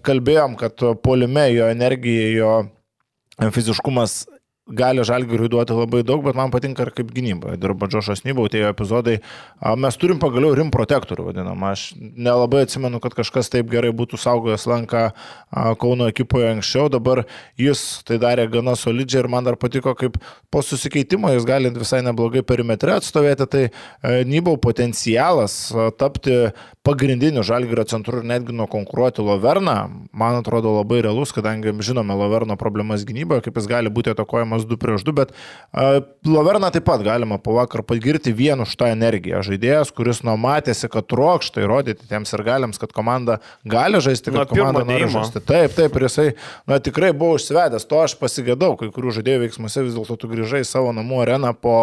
Kalbėjom, kad puolime jo energija, jo fiziškumas gali Žalgiriui duoti labai daug, bet man patinka ir kaip gynyba. Dirba Džošas Nybau, tie epizodai. Mes turim pagaliau rim protektorių, vadinamą. Aš nelabai atsimenu, kad kažkas taip gerai būtų saugojęs lanką Kauno ekipoje anksčiau. Dabar jis tai darė gana solidžiai ir man dar patiko, kaip po susikeitimo jis gali visai neblogai perimetre atstovėti. Tai Nybau potencialas tapti pagrindiniu Žalgirio centru ir netgi nukonkuruoti Loverną, man atrodo labai realus, kadangi žinome Loverno problemas gynyboje, kaip jis gali būti atakuojamas 2-2, bet Loverną taip pat galima po vakar pagirti vienu už tą energiją. Žaidėjas, kuris matėsi, kad trokšta įrodyti tiems ir galiams, kad komanda gali žaisti, kad komanda nori žaisti. Taip, ir jisai tikrai buvo užsivedęs, to aš pasigėdau, kai kurių žaidėjų veiksmuose vis dėlto tu grįžai į savo namų areną po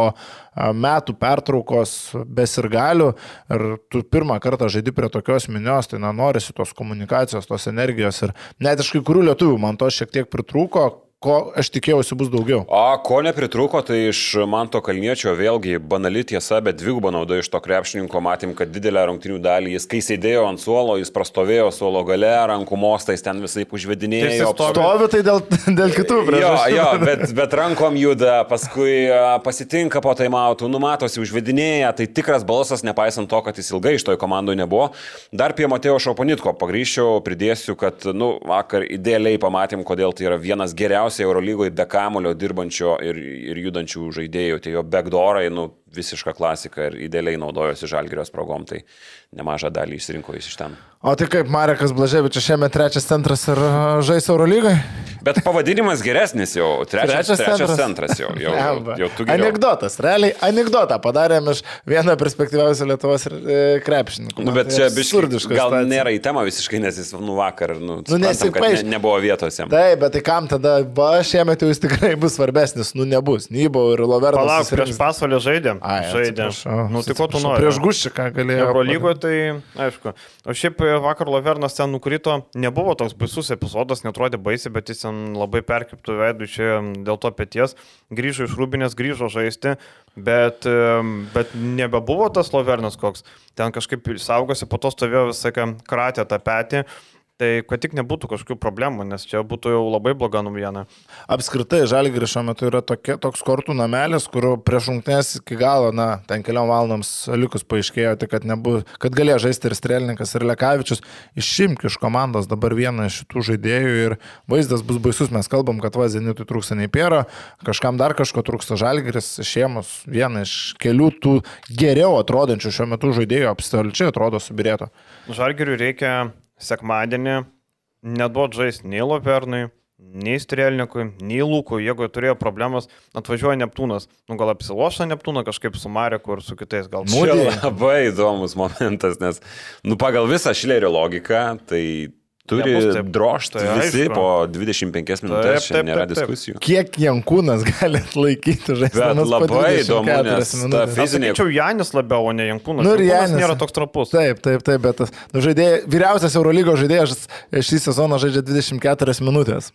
metų pertraukos be sirgalių ir tu pirmą kartą žaidi prie tokios minios, tai norisi tos komunikacijos, tos energijos ir net iš kai kurių lietuvių man to šiek tiek pritrūko, ko aš tikėjausi bus daugiau. O ko nepritrūko, tai iš Manto Kalniečio vėlgi banali tiesa, bet dvigubą naudą iš to krepšininko matėm, kad didelę rungtynių dalį jis, kai sėdėjo ant suolo, jis prastovėjo suolo gale, rankų mostais ten visai užvedinėjo. Stovi tai dėl kitų priežasčių. Jo, bet rankom juda, paskui pasitinka po taimautų, numatosi užvedinėja, tai tikras balsas, nepaisant to, kad jis ilgai iš toj komandoje nebuvo. Dar prie Matėjo Šauponitko pagrįžčiau, pridėsiu, kad vakar idealiai pamatėm, kodėl tai yra vienas geriausių Eurolygoje be kamulio dirbančio ir judančių žaidėjų, tai jo backdoorai, visiška klasika ir idealiai naudojosi Žalgirio sprogom, tai nemažą dalį išsirinko jis iš ten. O tai kaip Marekas Blaževičius šiemet trečias centras ir žais Eurolygoje? Bet pavadinimas geresnis jau, trečias centras jau tu geriau. Anekdotas, realiai anekdotą padarėm iš vieną perspektyviausią Lietuvos krepšininkų. Bet čia biškai gal nėra į temą visiškai, nes jis vakar, nebuvo vietos jam. Taip, bet tai kam tada, šiemet jau jis tikrai bus svarbesnis, nebus. Nybo ir Lovernas. Palauk, prieš Pasvalį žaidėm. Tai ko tu nori? Prieš Guščiką galėjo. Eurolygoje tai, aišku. O šiaip vakar Lovernas ten nukrito, nebuvo toks baisus epizodas, netrodė baisiai, bet jis ten labai perkiptų veidų čia dėl to peties. Grįžo iš Rūbinės, grįžo žaisti, bet nebebuvo tas Lovernas koks. Ten kažkaip saugosi, po to stovėjo visą kratę tą petį. Tai kad tik nebūtų kažkokių problemų, nes čia būtų jau labai bloga naujiena. Apskritai, Žalgiris šiuo metu yra toks kortų namelis, kur prieš rungtynes iki galo, ten keliom valandoms likus paaiškėjo, tai kad galėjo žaisti ir Strėlininkas, ir Lekavičius. Išimk iš komandos dabar vieną iš šitų žaidėjų ir vaizdas bus baisus. Mes kalbam, kad Zenitui trūksta Neipėro, kažkam dar kažko trūksta. Žalgiris išėmus vieną iš kelių tų geriau atrodančių šiuo metu žaidėjų absoliučiai atrodo subirėto. Žalgiriui reikia sekmadienį neduot žaisti nei Lovernui, nei Strėlnikui, nei Lūkui. Jeigu turėjo problemas, atvažiuoja Neptūnas. Gal apsilošia Neptūną kažkaip su Mareku ir su kitais gal. Čia labai įdomus momentas, nes pagal visą Šilerio logiką, tai turi drožti visi po 25 minutės, čia nėra diskusijų. Kiek Jankūnas gali atlaikyti žaisti? Bet labai įdomu, nes ta fizinė... Tačiau Janis labiau, o ne Jankūnas. Jankūnas nėra toks trapus. Taip, bet vyriausias Eurolygos žaidėjas šį sezoną žaidžia 24 minutės.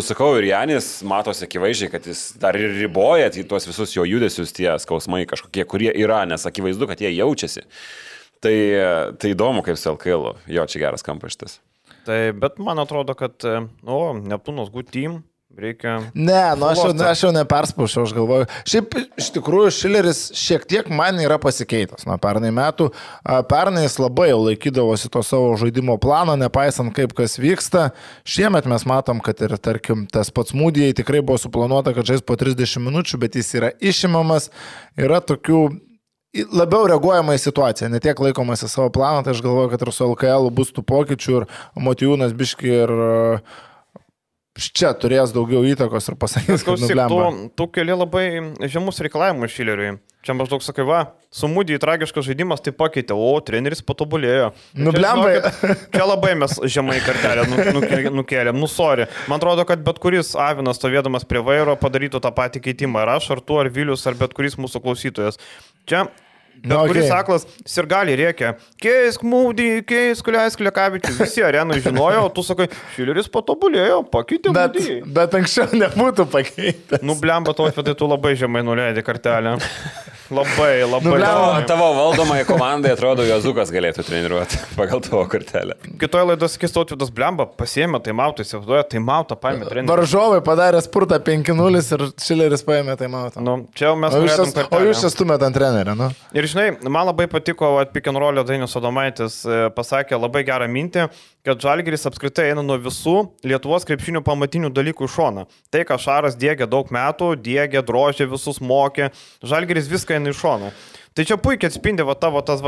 Sakau, ir Janis matosi akivaizdžiai, kad jis dar ir riboja tuos visus jo judesius, tie skausmai kažkokie, kurie yra, nes akivaizdu, kad jie jaučiasi. Tai įdomu, kaip su LKL, jo čia geras kampas šitas. Tai, bet man atrodo, kad Neptūnos good team reikia... Ne, aš jau neperspaušiau, aš galvoju. Šiaip iš tikrųjų Šileris šiek tiek man yra pasikeitęs nuo pernai metų. Pernai jis labai jau laikydavosi to savo žaidimo plano, nepaisant kaip kas vyksta. Šiemet mes matom, kad ir tarkim tas pats Mūdijai tikrai buvo suplanuota, kad žais po 30 minučių, bet jis yra išimamas. Yra tokių... Labiau reaguojama į situaciją, ne tiek laikomasi savo planą, tai aš galvoju, kad ir su LKL bus tų pokyčių ir Motijūnas biški ir čia turės daugiau įtakos ir pasakys, kad nublemba. Tu keli labai žemus reikalavimus Šileriui. Čia maždaug sakai, su Mūdijai tragiškas žaidimas tai pakeitė, treneris patobulėjo. Nublemba. Čia labai mes žemai kartelę nukėlėm, sorry. Man atrodo, kad bet kuris Avinas stovėdamas prie vairo padarytų tą patį keitimą. Ar aš, ar tu, ar Vilius, ar bet kuris mūsų klausytojas. Čia kuris aklas sirgaliai rėkia, keisk Mūdį, keisk Lekavičių. Visi arenai žinojo, o tu sakai, Šileris patobulėjo, pakeitė Mūdį. Bet anksčiau nebūtų pakeitęs. Blemba, tai tu labai žemai nuleidai kartelę. Labai. Tavo valdomai komandai atrodo, Jozukas galėtų treniruoti pagal tavo kartelę. Kitoje laidos sakys, Tautvydas blemba, pasiėmė taimautą, įsivaizduoja, taimautą paėmė trenerių. Varžovai padarė spurtą 5-0 ir Šileris paėmė taimautą. Čia mes norėtum kartelę. O jūs čia stumėt ant trenerio, Ir žinai, man labai patiko, pick and roll Dainius Adomaitis pasakė labai gerą mintį, kad Žalgiris apskritai eina nuo visų Lietuvos krepšinių pamatinių dalykų iš šono. Tai, ką Šaras diegia daug metų, diegia, drožė, visus mokė, Žalgiris viską eina iš šono. Tai čia puikiai atspindi tavo tas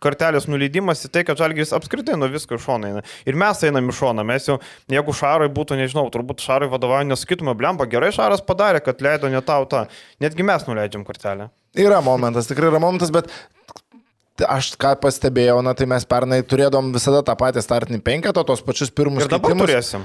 kartelės nuleidimas į tai, kad Žalgiris apskritai nuo visko iš šono eina. Ir mes einam iš šono. Mes jau, jeigu Šarui būtų, nežinau, turbūt Šarui vadovauja, nesakytume, blemba, gerai Šaras padarė, kad leido ne tau tą. Netgi mes nuleidžiam kartelę. Yra momentas, tikrai yra momentas, bet aš ką pastebėjau, tai mes pernai turėdom visada tą patį startinį penketą, tos pačius pirmus keitimus. Ir dabar turėsim.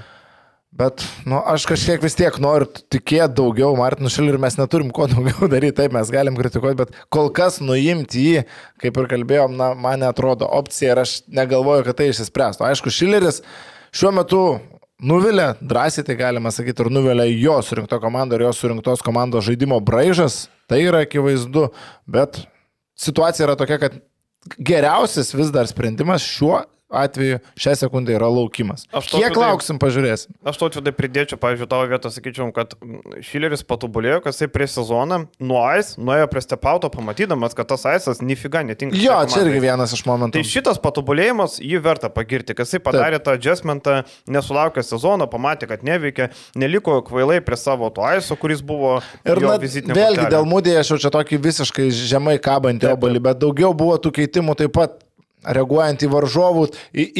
Bet, aš kažkiek vis tiek noriu tikėti daugiau Martinu Šileriu, mes neturim ko daugiau daryti, taip mes galim kritikuoti, bet kol kas nuimti jį, kaip ir kalbėjom, man netrodo opcija ir aš negalvoju, kad tai išsispręstų. Aišku, Šileris šiuo metu nuvilė, drąsiai tai galima sakyti, ir nuvilė jo surinkto komando ir jo surinktos komandos žaidimo braižas, tai yra akivaizdu, bet situacija yra tokia, kad geriausias vis dar sprendimas šiuo atveju šią sekundę yra laukimas. Kiek lauksim, pažiūrėsim. Aš to atvedai pridėčiau, pavyzdžiui, tavo vietą sakyčiau, kad Šileris patobulėjo, kad jisai prieš sezoną nuėjo prie stepauto, pamatydamas, kad tas aisas nifiga netinka. Jo, čia irgi vienas iš momentų. Tai šitas patobulėjimas jį verta pagirti, kad jisai padarė tą adjustmentą, nesulaukė sezono, pamatė, kad neveikia, neliko kvailai prie savo to aiso, kuris buvo ir jo vizitinė kortelė. Vėlgi dėl Mūdėje aš jau čia tokį visiškai žemai kabantį obalį, bet daugiau buvo tų keitimų taip pat. Reaguojant į varžovų,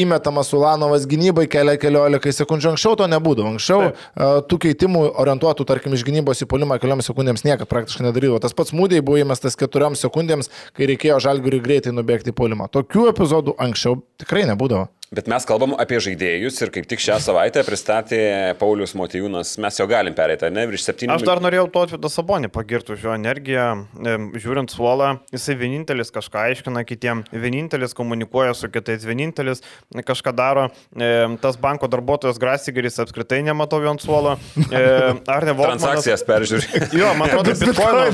įmetamas Ulanovas gynybai keliolika sekundžių. Anksčiau to nebūdavo. Anksčiau tų keitimų orientuotų, tarkim, iš gynybos į puolimą kelioms sekundėms niekad praktiškai nedarydavo. Tas pats Mūdėje buvo įmestas 4 sekundėms, kai reikėjo Žalgiriui greitai nubėgti į puolimą. Tokių epizodų anksčiau tikrai nebūdavo. Bet mes kalbam apie žaidėjus ir kaip tik šią savaitę pristatė Paulius Motiejūnas. Mes jau galim pereiti, ne? Virš 7. Aš dar norėjau Tautvydą Sabonį pagirti už jo energiją. Žiūrint suolą, jisai vienintelis kažką aiškina kitiem, vienintelis komunikuoja su kitais, vienintelis kažką daro. Tas banko darbuotojas Grasigeris apskritai nematau jo ant suolo. Transakcijas peržiūri. Jo, man atrodo,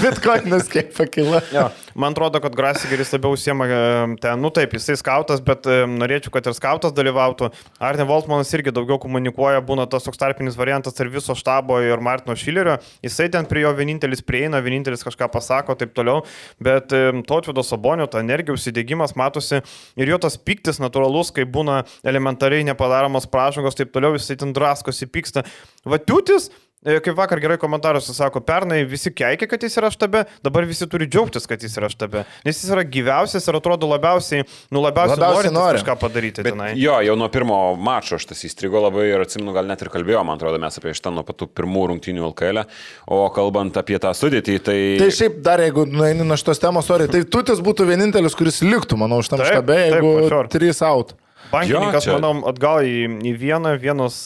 Bitcoinas kiek pakilo. Jo, man atrodo, kad Grasigeris labiau užsiema ten, nu taip, jisai skautas, bet norėčiau, kad ir skautas dalyvautų. Arne Voltmanas irgi daugiau komunikuoja, būna tas toks tarpinis variantas tarp viso štabo ir Martino Šilerio. Jisai ten prie jo vienintelis prieina, vienintelis kažką pasako, taip toliau. Bet Tautvydo Sabonio, ta energija, užsidėgymas matosi ir jo tas piktis natūralus, kai būna elementariai nepadaromos pražangos, taip toliau, jisai ten draskosi, pyksta. Vatiutis, kaip vakar gerai komentaruose sako, pernai visi keikia, kad jis yra štabe, dabar visi turi džiaugtis, kad jis yra štabe. Nes jis yra gyviausias ir atrodo labiausiai nori kažką padaryti. Bet tenai. Jo, jau nuo pirmo mačo aš tas įstrigo labai ir atsimenu, gal net ir kalbėjau, man atrodo, mes apie šitą nuo patų pirmų rungtynių LKL. O kalbant apie tą sudėtį, tai... Tai šiaip dar, jeigu nueini nuo šitos temos, tai Tutis būtų vienintelis, kuris liktų, manau, šitam štabe, jeigu 3 out. Bankininkas, jo, manau, atgal į vienas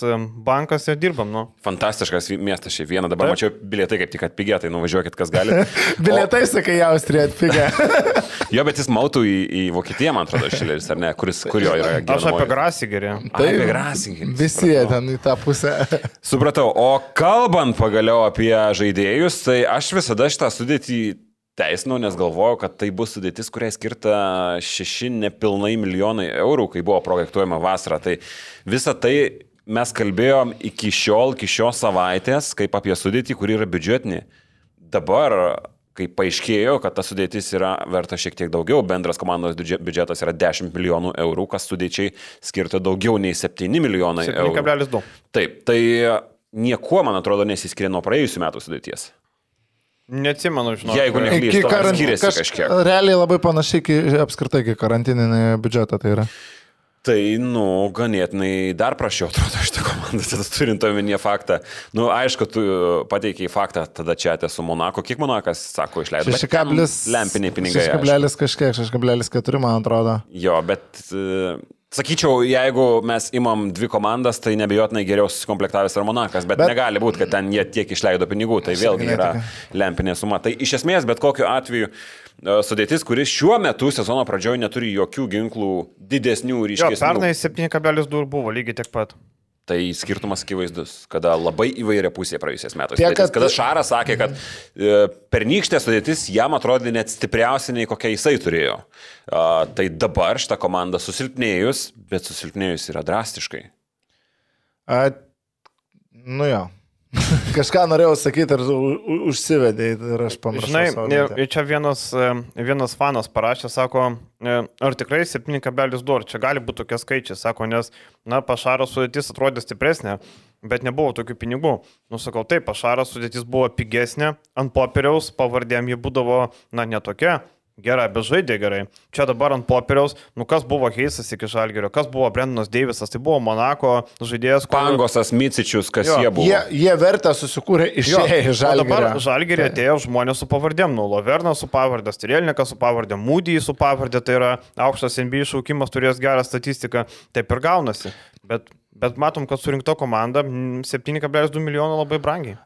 bankas ir dirbam, nu. Fantastiškas miestas šiaip vieną, dabar mačiau bilietai kaip tik atpigę, tai nuvažiuokit, kas gali. Bilietai, sakai, į Austriją atpigę. Jo, bet jis mautų į Vokietiją, man atrodo, Šileris, ar ne, kur jo yra geras. Aš apie Grasigerį. Tai apie Grasigerį. Visi ten į tą pusę. Supratau, o kalbant pagaliau apie žaidėjus, tai aš visada šitą sudėtį teisinu, nes galvoju, kad tai bus sudėtis, kuriai skirta 6 nepilnai milijonai eurų, kai buvo projektuojama vasarą. Tai visą tai mes kalbėjom iki šios savaitės, kaip apie sudėtį, kuri yra biudžetinė. Dabar, kai paaiškėjo, kad ta sudėtis yra verta šiek tiek daugiau, bendras komandos biudžetas yra 10 milijonų eurų, kas sudėčiai skirta daugiau nei 7 milijonai eurų. 7,2. Taip, tai niekuo, man atrodo, nesiskiria nuo praėjusių metų sudėties. Neatsimenu, žinau. Jeigu neklystu, skiriasi kažkiek. Realiai labai panašiai apskritai, kai karantininį biudžetą tai yra. Tai, ganėtinai dar prašiau, atrodo, šitą komandą, tada turint omenyje faktą. Aišku, tu pateikiai faktą tada čia su Monako. Kiek Monakas, sako, išleido? 6,4 lempiniai pinigai. 6,4, man atrodo. Jo, bet... Sakyčiau, jeigu mes imam 2 komandas, tai nebejotinai geriau susikomplektavęs ir Monakas, bet negali būti, kad ten jie tiek išleido pinigų, tai vėlgi yra lempinė suma. Tai iš esmės, bet kokiu atveju sudėtis, kuris šiuo metu sezono pradžioje neturi jokių ginklų didesnių ryškesnių. Jo, pernai 7,2 buvo lygiai tiek pat. Tai skirtumas akivaizdus, kada labai įvairia pusė praėjusiais metais. Kada Šaras sakė, kad pernykštė sudėtis jam atrodė net stipriausia nei kokia jisai turėjo. Tai dabar šitą komandą susilpnėjus, bet susilpnėjus yra drastiškai. Jo. Kažką norėjau sakyti ir užsivedė ir aš pamiršau. Žinai, čia vienas fanas parašė, sako, ar tikrai 7,2, čia gali būti tokie skaičiai, sako, nes, Pašaro sudėtis atrodė stipresnė, bet nebuvo tokių pinigų. Sakau, taip, Pašaro sudėtis buvo pigesnė, ant popieriaus pavardėm ji būdavo, netokia. Gerai, bet žaidė gerai. Čia dabar ant popieriaus, kas buvo Heisas iki Žalgirio, kas buvo Brendonas Deivisas, tai buvo Monako žaidėjas. Pangosas, Micičius, kas jie buvo. Jie vertę susikūrė išėję iš Žalgirio. O dabar Žalgirį atėjo žmonės su pavardėm, Lovernas su pavardė, Strielnikas su pavardė, Mūdijai su pavardė, tai yra aukštas NBA šaukimas, turės gerą statistiką, taip ir gaunasi. Bet Bet matom, kad surinkta komanda 7,2 milijono labai brangiai.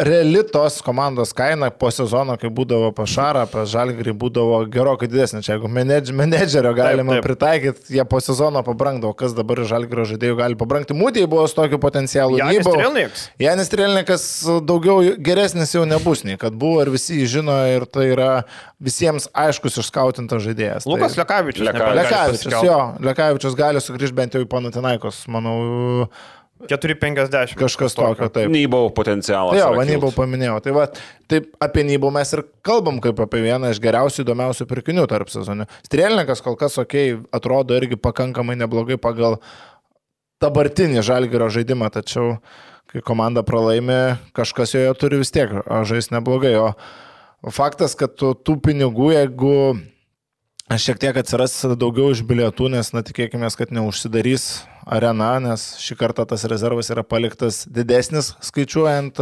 Reali tos komandos kaina po sezono, kai būdavo Pašarą, pas Žalgirį būdavo gerokai didesnė. Čia jeigu menedžerio galima pritaikyti, jie po sezono pabrangdavo. Kas dabar Žalgirio žaidėjų gali pabrangti? Mūdėjai buvo su tokiu potencialu. Janis Strelnikas daugiau geresnis jau nebus, nei kad buvo ir visi jį žino ir tai yra visiems aiškus išskautintas žaidėjas. Lukas Lekavičius. Lekavičius gali sugrįžti bent jau į Panathinaikos, manau. 4,50. Kažkas tokio, taip. Nybau potencialas. Jo, Nybau paminėjau. Tai va, taip apie Nybau mes ir kalbam kaip apie vieną iš geriausių, įdomiausių pirkinių tarp sezonių. Strelnikas kol kas, atrodo irgi pakankamai neblogai pagal dabartinį Žalgirio žaidimą, tačiau kai komanda pralaimi, kažkas joje turi vis tiek žaisti neblogai. O faktas, kad tų pinigų, jeigu šiek tiek atsiras daugiau iš bilietų, nes tikėkime, kad neužsidarys arena, nes šį kartą tas rezervas yra paliktas didesnis, skaičiuojant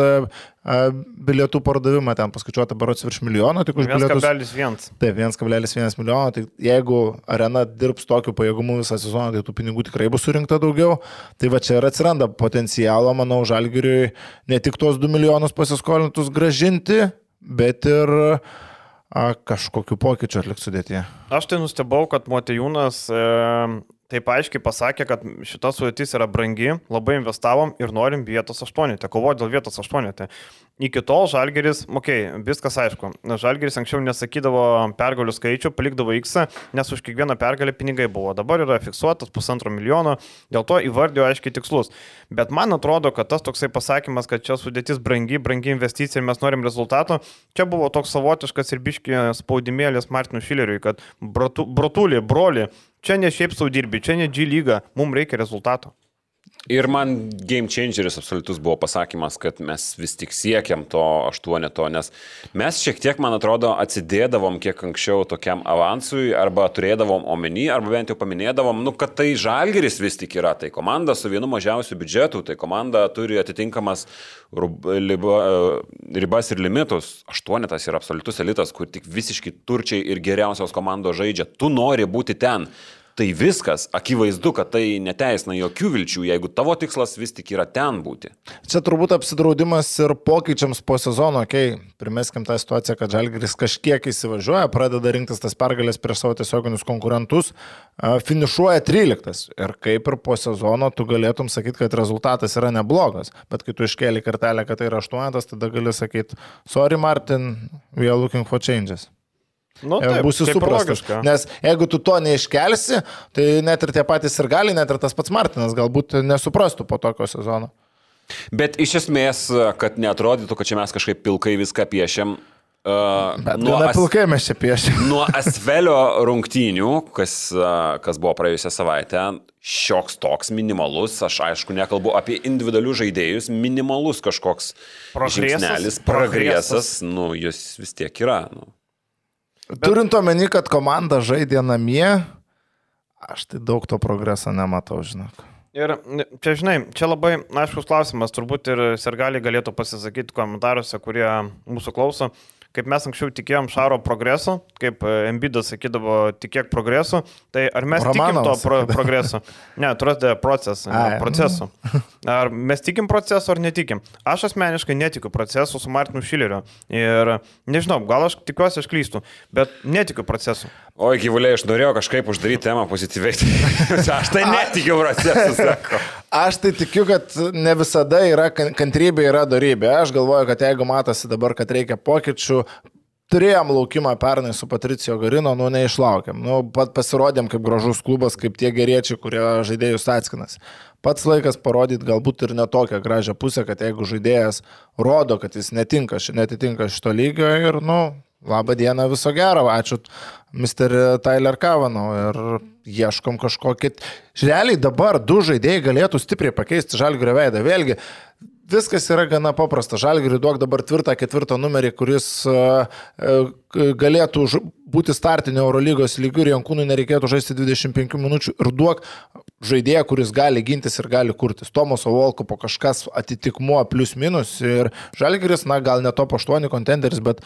bilietų pardavimą, ten paskaičiuota berods virš milijono, tik už bilietus. 1,1. Taip, 1,1 milijono, tai jeigu arena dirbs tokiu pajėgumu visą sezoną, tai tų pinigų tikrai bus surinkta daugiau. Tai va čia ir atsiranda potencialo, manau, Žalgiriui ne tik tos 2 milijonus pasiskolintus grąžinti, bet ir kažkokiu pokyčiu atlikti sudėtyje. Aš tai nustebau, kad Motiejūnas taip aiškiai pasakė, kad šita sudėtis yra brangi, labai investavom ir norim vietos 8, kovoti dėl vietos 8. Iki tol Žalgiris, viskas aišku, Žalgiris anksčiau nesakydavo pergalių skaičių, palikdavo X, nes už kiekvieną pergalę pinigai buvo. Dabar yra fiksuotas 1,5 milijono, dėl to įvardėjo aiškiai tikslus. Bet man atrodo, kad tas toksai pasakymas, kad čia sudėtis brangi investicija ir mes norim rezultato, čia buvo toks savotiškas ir biški spaudimėlis Martinui Šileriui, kad brotulį, broli, čia ne šiaip sau dirbi, čia ne G lyga, mums reikia rezultato. Ir man game changeris absoliutus buvo pasakymas, kad mes vis tik siekiam to 8, nes mes šiek tiek, man atrodo, atsidėdavom kiek anksčiau tokiam avansui, arba turėdavom omeny, arba bent jau paminėdavom, kad tai Žalgiris vis tik yra, tai komanda su vienu mažiausių biudžetų, tai komanda turi atitinkamas ribas ir limitus. 8 yra absoliutus elitas, kur tik visiškai turčiai ir geriausios komandos žaidžia. Tu nori būti ten. Tai viskas, akivaizdu, kad tai neteisina jokių vilčių, jeigu tavo tikslas vis tik yra ten būti. Čia turbūt apsidraudimas ir pokyčiams po sezono, primeskim tą situaciją, kad Žalgiris kažkiek įsivažiuoja, pradeda rinktis tas pergalės prieš savo tiesioginius konkurentus, finišuoja 13. Ir kaip ir po sezono tu galėtum sakyti, kad rezultatas yra neblogas, bet kai tu iškėli kartelę, kad tai yra 8, tada gali sakyti, sorry Martin, we are looking for changes. Taip, būsi suprastas. Nes jeigu tu to neiškelsi, tai net ir tie patys ir gali, net ir tas pats Martinas galbūt nesuprastų po tokio sezono. Bet iš esmės, kad neatrodytų, kad čia mes kažkaip pilkai viską piešiam. Pilkai mes čia piešiam. Nuo Asvelio rungtynių, kas buvo praėjusią savaitę, šioks toks minimalus, aš aišku nekalbu apie individualių žaidėjus, minimalus kažkoks žingsnelis, progresas, jis vis tiek yra. Turint omeny, kad komanda žaidė namie, aš tai daug to progreso nematau, žinok. Ir čia, čia labai aiškus klausimas, turbūt ir sirgaliai galėtų pasisakyti komentaruose, kurie mūsų klauso. Kaip mes anksčiau tikėjom Šaro progreso, kaip Embiidas sakydavo, tikėk progreso, tai ar mes tikim to progreso? Ne, trust the process, procesu. Ar mes tikim procesu ar netikim? Aš asmeniškai netikiu procesu su Martinu Šileriu. Ir nežinau, gal aš tikiuosi, aš klystu, bet netikiu procesu. Oi, gyvuliai, aš norėjau kažkaip uždaryti temą pozityviai. Aš tai netikiu procesu, sako. Aš tai tikiu, kad ne visada yra kantrybė, yra dorybė. Aš galvoju, kad jeigu matosi dabar, kad reikia pokyčių, turėjom laukimą pernai su Patricijo Garino, neišlaukėm. Pasirodėm kaip gražus klubas, kaip tie geriečiai, kurie žaidėjus atskinas. Pats laikas parodyti galbūt ir netokią gražią pusę, kad jeigu žaidėjas rodo, kad jis netitinka šito lygio ir, labą dieną, viso gero, ačiū Mr. Tyler Kavanau ir ieškom kažkokį. Realiai dabar 2 žaidėjai galėtų stipriai pakeisti Žalgirio veidą. Vėlgi, viskas yra gana paprasta. Žalgiriui duok dabar 4 numerį, kuris galėtų būti startinio Eurolygos lygių ir Jankūnui nereikėtų žaisti 25 minučių ir duok žaidėją, kuris gali gintis ir gali kurtis. Tomaso Volkopo kažkas atitikmuo plius minus ir Žalgiris, gal ne top 8 kontenderis, bet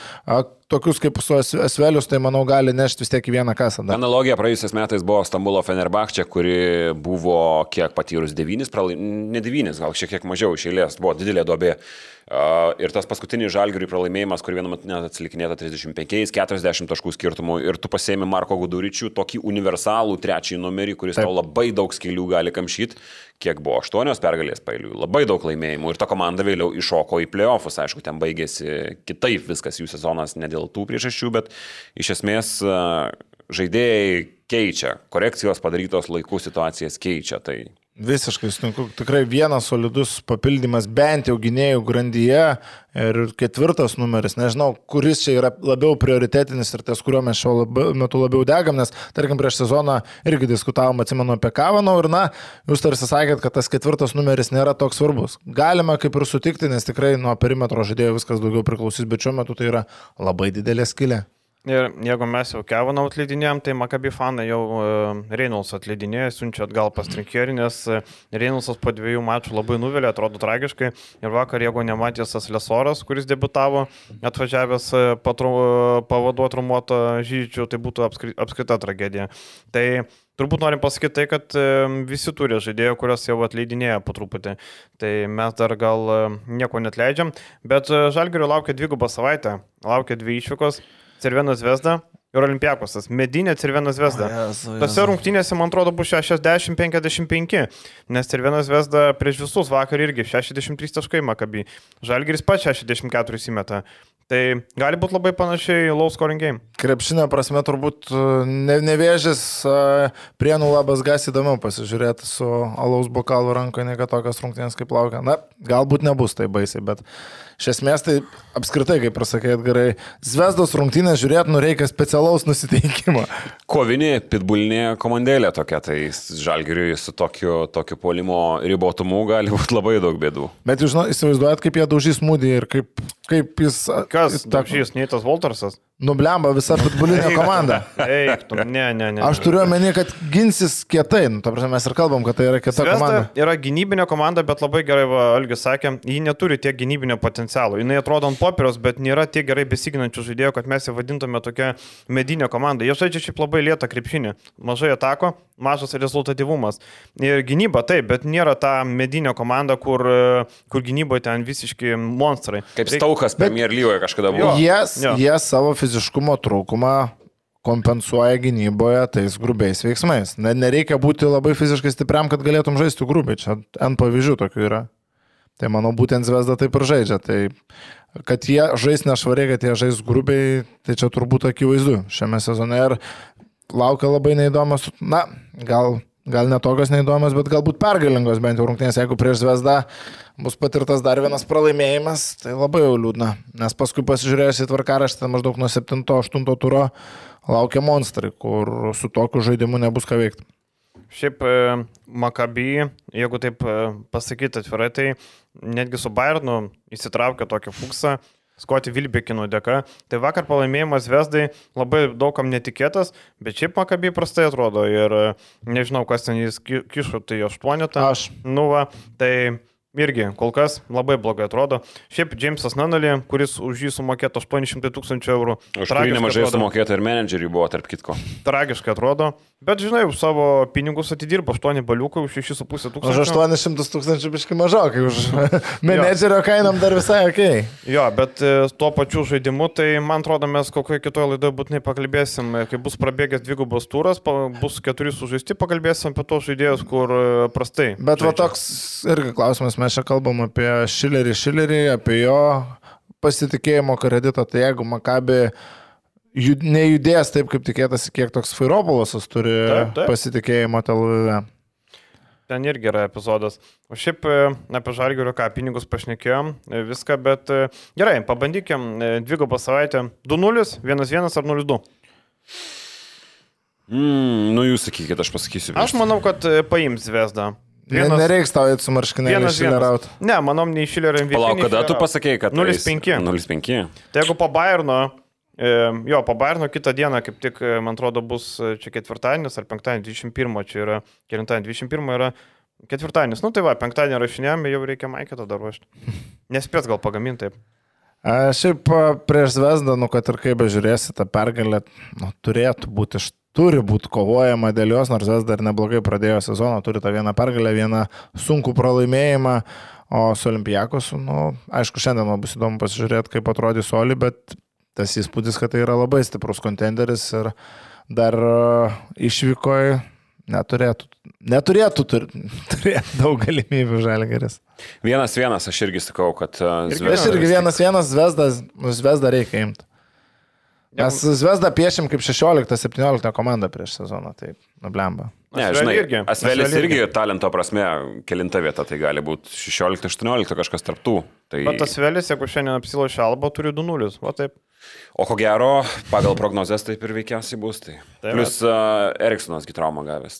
tokius kaip su Asvelius, tai manau gali nešti vis tiek į vieną kasą. Analogija praėjusiais metais buvo Stambulo Fenerbahčė, kuri buvo kiek patyrus 9 pralaimėjimus, ne 9, gal šiek tiek mažiau iš eilės, buvo didelė duobė. Ir tas paskutinis Žalgiriui pralaimėjimas, kur vienu metu net atsilikinėta 35-40 taškų skirtumų ir tu pasiemi Marko Guduričių, tokį universalų trečiąjį numerį, kuris tau labai daug skylių gali kamšyti, kiek buvo 8 pergalės pailių, labai daug laimėjimų ir ta komanda vėliau iššoko į playoffus, aišku, ten baigėsi kitaip viskas jų sezonas ne dėl tų priežasčių, bet iš esmės žaidėjai keičia, korekcijos padarytos laikų situacijas keičia. Tai visiškai sutinku, tikrai vienas solidus papildymas bent jau gynėjų grandyje ir 4 numeris, nežinau, kuris čia yra labiau prioritetinis ir ties kuriuo mes šiuo metu labiau degam, nes tarkim prieš sezoną irgi diskutavom, atsimenu apie Kavanau ir jūs tarsi sakėt, kad tas 4 numeris nėra toks svarbus. Galima kaip ir sutikti, nes tikrai nuo perimetro žaidėjų viskas daugiau priklausys, bet šiuo metu tai yra labai didelė skylė. Ir jeigu mes jau Kevanau atleidinėjom, tai Maccabi fanai jau Reynolds atleidinėjo, siunčia atgal pas Trinkierį, nes Reynoldsas po 2 mačų labai nuvilė, atrodo tragiškai. Ir vakar, jeigu nematėsas Lesoras, kuris debutavo, atvažiavęs pavaduoti rumuotą Žydžių, tai būtų apskrita tragedija. Tai turbūt norim pasakyti tai, kad visi turi žaidėjų, kurios jau atleidinėja po truputį. Tai mes dar gal nieko netleidžiam, bet Žalgirio laukia 2 savaitę, laukia 2 išvykos. Cervena Zvezda ir Olimpiakosas. Medinė Cervena Zvezda. Tose rungtynėse, man atrodo, bus 60-55, nes Cervena Zvezda prieš visus vakar irgi 63 taškai Maccabi. Žalgiris pats 64 įmeta. Tai gali būti labai panašiai low scoring game. Krepšinio prasme turbūt nevėžės Prienų Labas Gas įdomiau pasižiūrėti su alaus bokalu rankoje, ne kad tokios rungtynės kaip laukia. Na, galbūt nebus tai baisiai, bet iš esmės tai apskritai, kaip pasakė Edgarai, Zvezdos rungtynės žiūrėti reikia specialaus nusiteikimo. Kovinė, pitbulinė komandėlė tokia, tai Žalgiriui su tokiu puolimo ribotumu gali būti labai daug bėdų. Bet jūs įsivaizduojat, kaip jie daužys Mūdį ir kaip jis... Kas daužys, Neitas Voltersas? Nublemba visa pitbulinė komanda. Eik, ne. Aš turiu omeny, kad ginsis kietai. Ta prasme, mes ir kalbam, kad tai yra kieta komanda. Yra gynybinė komanda, bet labai gerai, Algis sakė, ji neturi tiek gynybinio potencialo. Jis atrodo ant popieriaus, bet nėra tiek gerai besiginančių žaidėjų, kad mes ją vadintume tokia medinė komanda. Jie žaidžia šiaip labai lėtą krepšinį. Mažai atako, mažas rezultatyvumas. Ir gynyba taip, bet nėra ta medinė komanda, kur gynyboje ten visiški monstrai. Kaip Staukas Premier lygoje kažkada buvo. Jie savo fiziškumo trūkumą kompensuoja gynyboje tais grubiais veiksmais. Nereikia būti labai fiziškai stipriam, kad galėtum žaisti grubiai. Čia N pavyzdžių tokių yra. Tai manau, būtent Zvezda taip ir žaidžia. Tai kad jie žais nešvariai, kad jie žais grubiai, tai čia turbūt akivaizdu šiame sezone. Ir laukia labai neįdomios, gal netokios neįdomios, bet galbūt pergalingos bent jau rungtynės. Jeigu prieš Zvezdą bus patirtas dar vienas pralaimėjimas, tai labai jau liūdna. Nes paskui pasižiūrėjus į tvarkaraštį, maždaug nuo 7-8 turo laukia monstrai, kur su tokiu žaidimu nebus ką veikti. Šiaip Maccabi, jeigu taip pasakyti atvirai, tai netgi su Bayernu įsitraukė tokį fuksą, Skoti Vilbekino dėka. Tai vakar pralaimėjimas Zvezdai labai daugam netikėtas, bet šiaip Maccabi prastai atrodo ir nežinau, kas ten jis kišo, tai 8. Tai irgi kol kas labai blogai atrodo. Šiaip Jamesas Nunnally, kuris už jį sumokėto 800 000 eurų. Už kurį nemažai sumokėta ir menedžeriai buvo, tarp kitko. Tragiškai atrodo. Bet, žinai, už savo pinigus atidirbo 8 baliukai, už 6,5 tūkstančių. Už 800 000 biškai mažokai, už menedžerio kainam dar visai ok. Jo, bet tuo pačiu žaidimu, tai man atrodo, mes kokioje kitoje laidoje būtinai pakalbėsim, kai bus prabėgęs 2 turas, bus 4 sužaisti, pakalbėsim apie tos žaidėjus, kur prastai. Bet va toks irgi klausimas, mes čia kalbam apie Šilerį, apie jo pasitikėjimo kreditą, tai jeigu Maccabi nejudės taip, kaip tikėtasi, kiek toks Fairopolasas turi pasitikėjimo Tel Avive. Ten irgi yra epizodas. O šiaip apie Žalgirio pinigus pašnekėjom viską, bet gerai, pabandykim 2 savaitę. 2-0, 1-1 ar 0-2? Jūs sakykit, aš pasakysiu. Aš manau, kad paims Zvezdą. Nereiks tau eiti su marškinėliu Šilerauti. Ne, manau, nei Šilerio MVP. Palauk, kada tu pasakėjai, kad 0-5. 0-5. Tai jeigu po Bayerno kitą dieną, kaip tik, man atrodo, bus čia ketvirtadienis ar penktadienis, 21, čia yra, 21 yra ketvirtadienis. Tai va, penktadienį rašinėjame, jau reikia maiketą dar ruošti. Nespės gal pagaminti taip. Šiaip prieš Zvezdą, kad ir kaip bežiūrėsi, ta pergalė turi būti kovojama dėl jos, nors Zvezda dar neblogai pradėjo sezoną, turi tą vieną pergalę, vieną sunkų pralaimėjimą, o su Olimpiakosu, aišku, šiandien bus įdomu pasižiūrėti, kaip atrodys Oli, bet tas įspūdis, kad tai yra labai stiprus kontenderis ir dar išvykoje neturėtų turėti daug galimybių Žalgiris. 1-1, aš irgi sakau, kad Zvezda. Aš irgi 1-1, Zvezda reikia imti. Mes Zvezdą piešim kaip 16-17 komanda prieš sezoną, tai nublemba. Ne, žinai, Asvelis irgi talento prasme, kelinta vieta, tai gali būti 16-18 kažkas tarptų. Tai... Bet Asvelis, jeigu šiandien apsilošia Alba, turi 2-0, o taip. O ko gero, pagal prognozes taip ir veikiausiai bus. Tai. Plius Eriksonas traumą gavęs.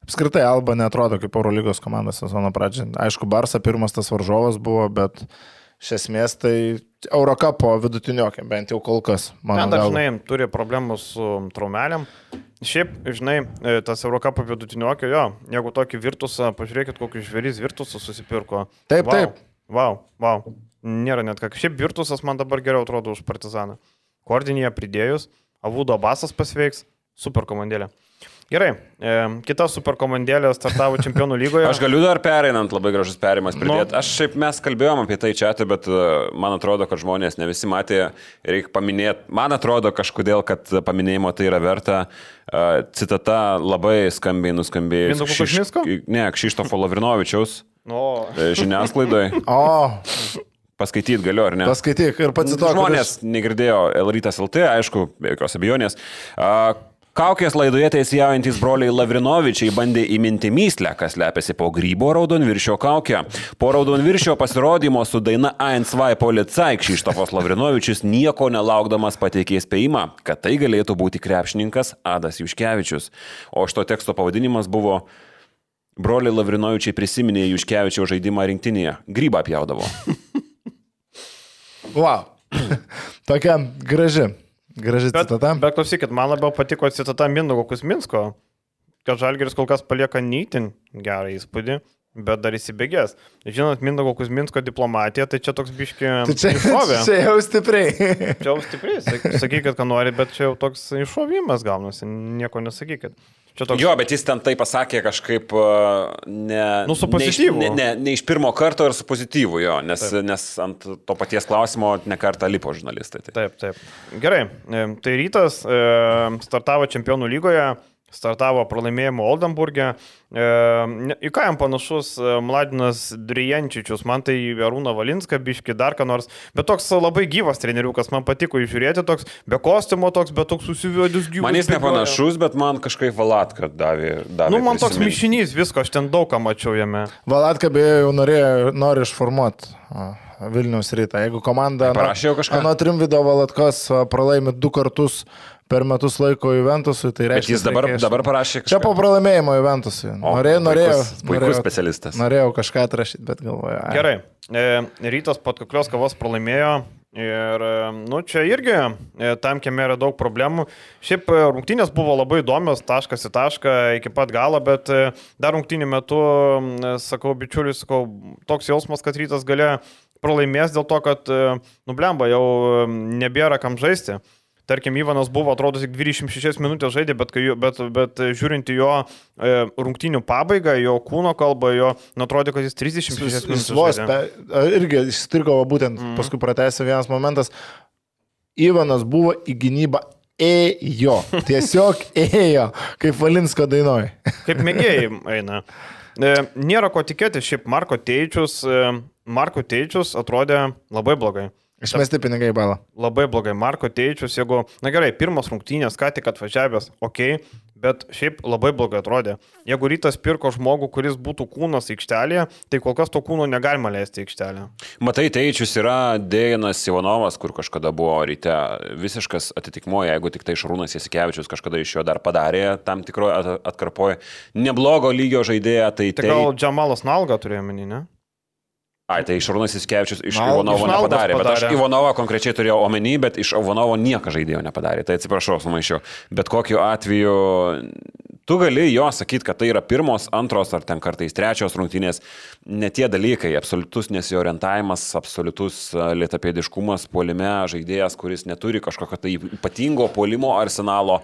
Apskritai Alba netrodo kaip Eurolygos komanda sezono pradžioje. Aišku, Barsa pirmas tas varžovas buvo, bet iš esmės tai Eurokapo vidutiniokė, bent jau kol kas. Ten dažnai turi problemų su traumelėm. Šiaip, žinai, tas Eurokapo vidutiniokė, jeigu tokį Virtusą, pažiūrėkit, kokius žvėrys Virtusą susipirko. Taip, taip. Wow. Nėra net ką. Šiaip Virtusas man dabar geriau atrodo už Partizaną. Kordinėje pridėjus, Avudo Basas pasveiks, super komandėlė. Gerai, kita super komandėlė startavo Čempionų lygoje. Aš galiu dar pereinant, labai gražus perimas pridėti. Mes kalbėjom apie tai čia, bet man atrodo, kad žmonės ne visi matė, reikia paminėti. Man atrodo kažkodėl, kad paminėjimo tai yra verta. Citata labai skambiai nuskambėjo. Kšištofo Lavrinovičiaus žiniasklaidoje. Paskaityti galiu, ar ne? Paskaityk ir pacituok. Žmonės negirdėjo L-rytas LT, aišku, be jokios abejonės. Kaukės laidoje teisėjaujantis broliai Lavrinovičiai bandė įminti myslę, kas lepiasi po Grybo Raudonviršio kaukę. Po Raudonviršio pasirodymo su daina A2 Policai Kšištofas Lavrinovičius nieko nelaukdamas pateikė spėjimą, kad tai galėtų būti krepšininkas Adas Juškevičius. O šito teksto pavadinimas buvo Broliai Lavrinovičiai prisiminė Juškevičiaus žaidimą rinktinėje. Grybą pjaudavo. Wow. Tokia graži citata. Bet klausykit, man labiau patiko citata Mindaugo Kuzminsko, kad Žalgiris kol kas palieka neįtin gerą įspūdį, bet dar įsibėgės. Žinot, Mindaugo Kuzminsko diplomatija, tai čia toks biški iššovė. Čia jau stipriai. Čia jau stipriai, sakykit, ką nori, bet čia jau toks iššovimas gaunasi, nieko nesakykit. Toks... Jo, bet jis ten tai pasakė kažkaip su pozityvu. Ne iš pirmo karto ir su pozityvu, jo, nes ant to paties klausimo ne kartą lipo žurnalistai. Taip. Gerai, tai Rytas startavo Čempionų lygoje, startavo pralaimėjimo Oldenburgė. Į ką jam panašus Mladinas Drijančičius, man tai Arūną Valinską, biški dar ką nors, bet toks labai gyvas treneriukas, man patiko žiūrėti, toks be kostiumo, bet toks susiviodis gyvas. Man jis nepanašus, bet man kažkaip Valatka davė man toks mišinys, visko, aš ten daug ką mačiau jame. Valatka beje jau nori išformuoti Vilniaus Rytą. Jeigu komanda nuo Trimvido Valatkos pralaimi 2 kartus per metus laiko Juventusui, tai reiškia... Bet jis dabar parašė kažką. Čia po pralaimėjimo Juventusui. Puikus specialistas. Norėjau kažką atrašyti, bet galvoju. Gerai. Rytas po atkaklios kovos pralaimėjo ir, čia irgi tam kieme yra daug problemų. Šiaip rungtynės buvo labai įdomios, taškas į tašką iki pat galo, bet dar rungtynių metu, sakau, bičiuliui, toks jausmas, kad Rytas galėjo pralaimės dėl to, kad, blemba, jau nebėra kam žaisti. Tarkim, Ivanas buvo, atrodo, tik 26 minutės žaidė, bet žiūrint į jo rungtynių pabaigą, jo kūno kalbą, atrodė, kad jis 36 minutės žaidė. Irgi išstirgo būtent, paskui pratęsė vienas momentas. Ivanas buvo į gynybą ėjo, tiesiog ėjo, kaip Valinsko dainoj. Kaip mėgėjai eina. Nėra ko tikėti, šiaip Marko Teičius atrodė labai blogai. Išmesti pinigai į balą. Labai blogai. Marko Teičius, jeigu, gerai, pirmas rungtynės, ką tik atvažiavęs, bet šiaip labai blogai atrodė. Jeigu Rytas pirko žmogų, kuris būtų kūnas aikštelėje, tai kol kas to kūno negalima leisti aikštelėje. Matai, Teičius yra Dejanas Ivanovas, kur kažkada buvo Ryte visiškas atitikmuo, jeigu tik tai Šarūnas Jasikevičius kažkada iš jo dar padarė tam tikroje atkarpoje neblogo lygio žaidėją. Tai gal Džamalas Nalga turėjo menį, ne? Tai Šarūnas Jasikevičius iš Ivanovo nepadarė, bet aš Ivanovą konkrečiai turėjau omeny, bet iš Ivanovo nieko žaidėjo nepadarė, tai atsiprašau, sumaišiau. Bet kokiu atveju Tu gali jo sakyti, kad tai yra pirmos, antros ar ten kartais trečios rungtynės, ne tie dalykai, absoliutus nesiorientavimas, absoliutus lėtapėdiškumas puolime, žaidėjas, kuris neturi kažkokio tai ypatingo puolimo arsenalo.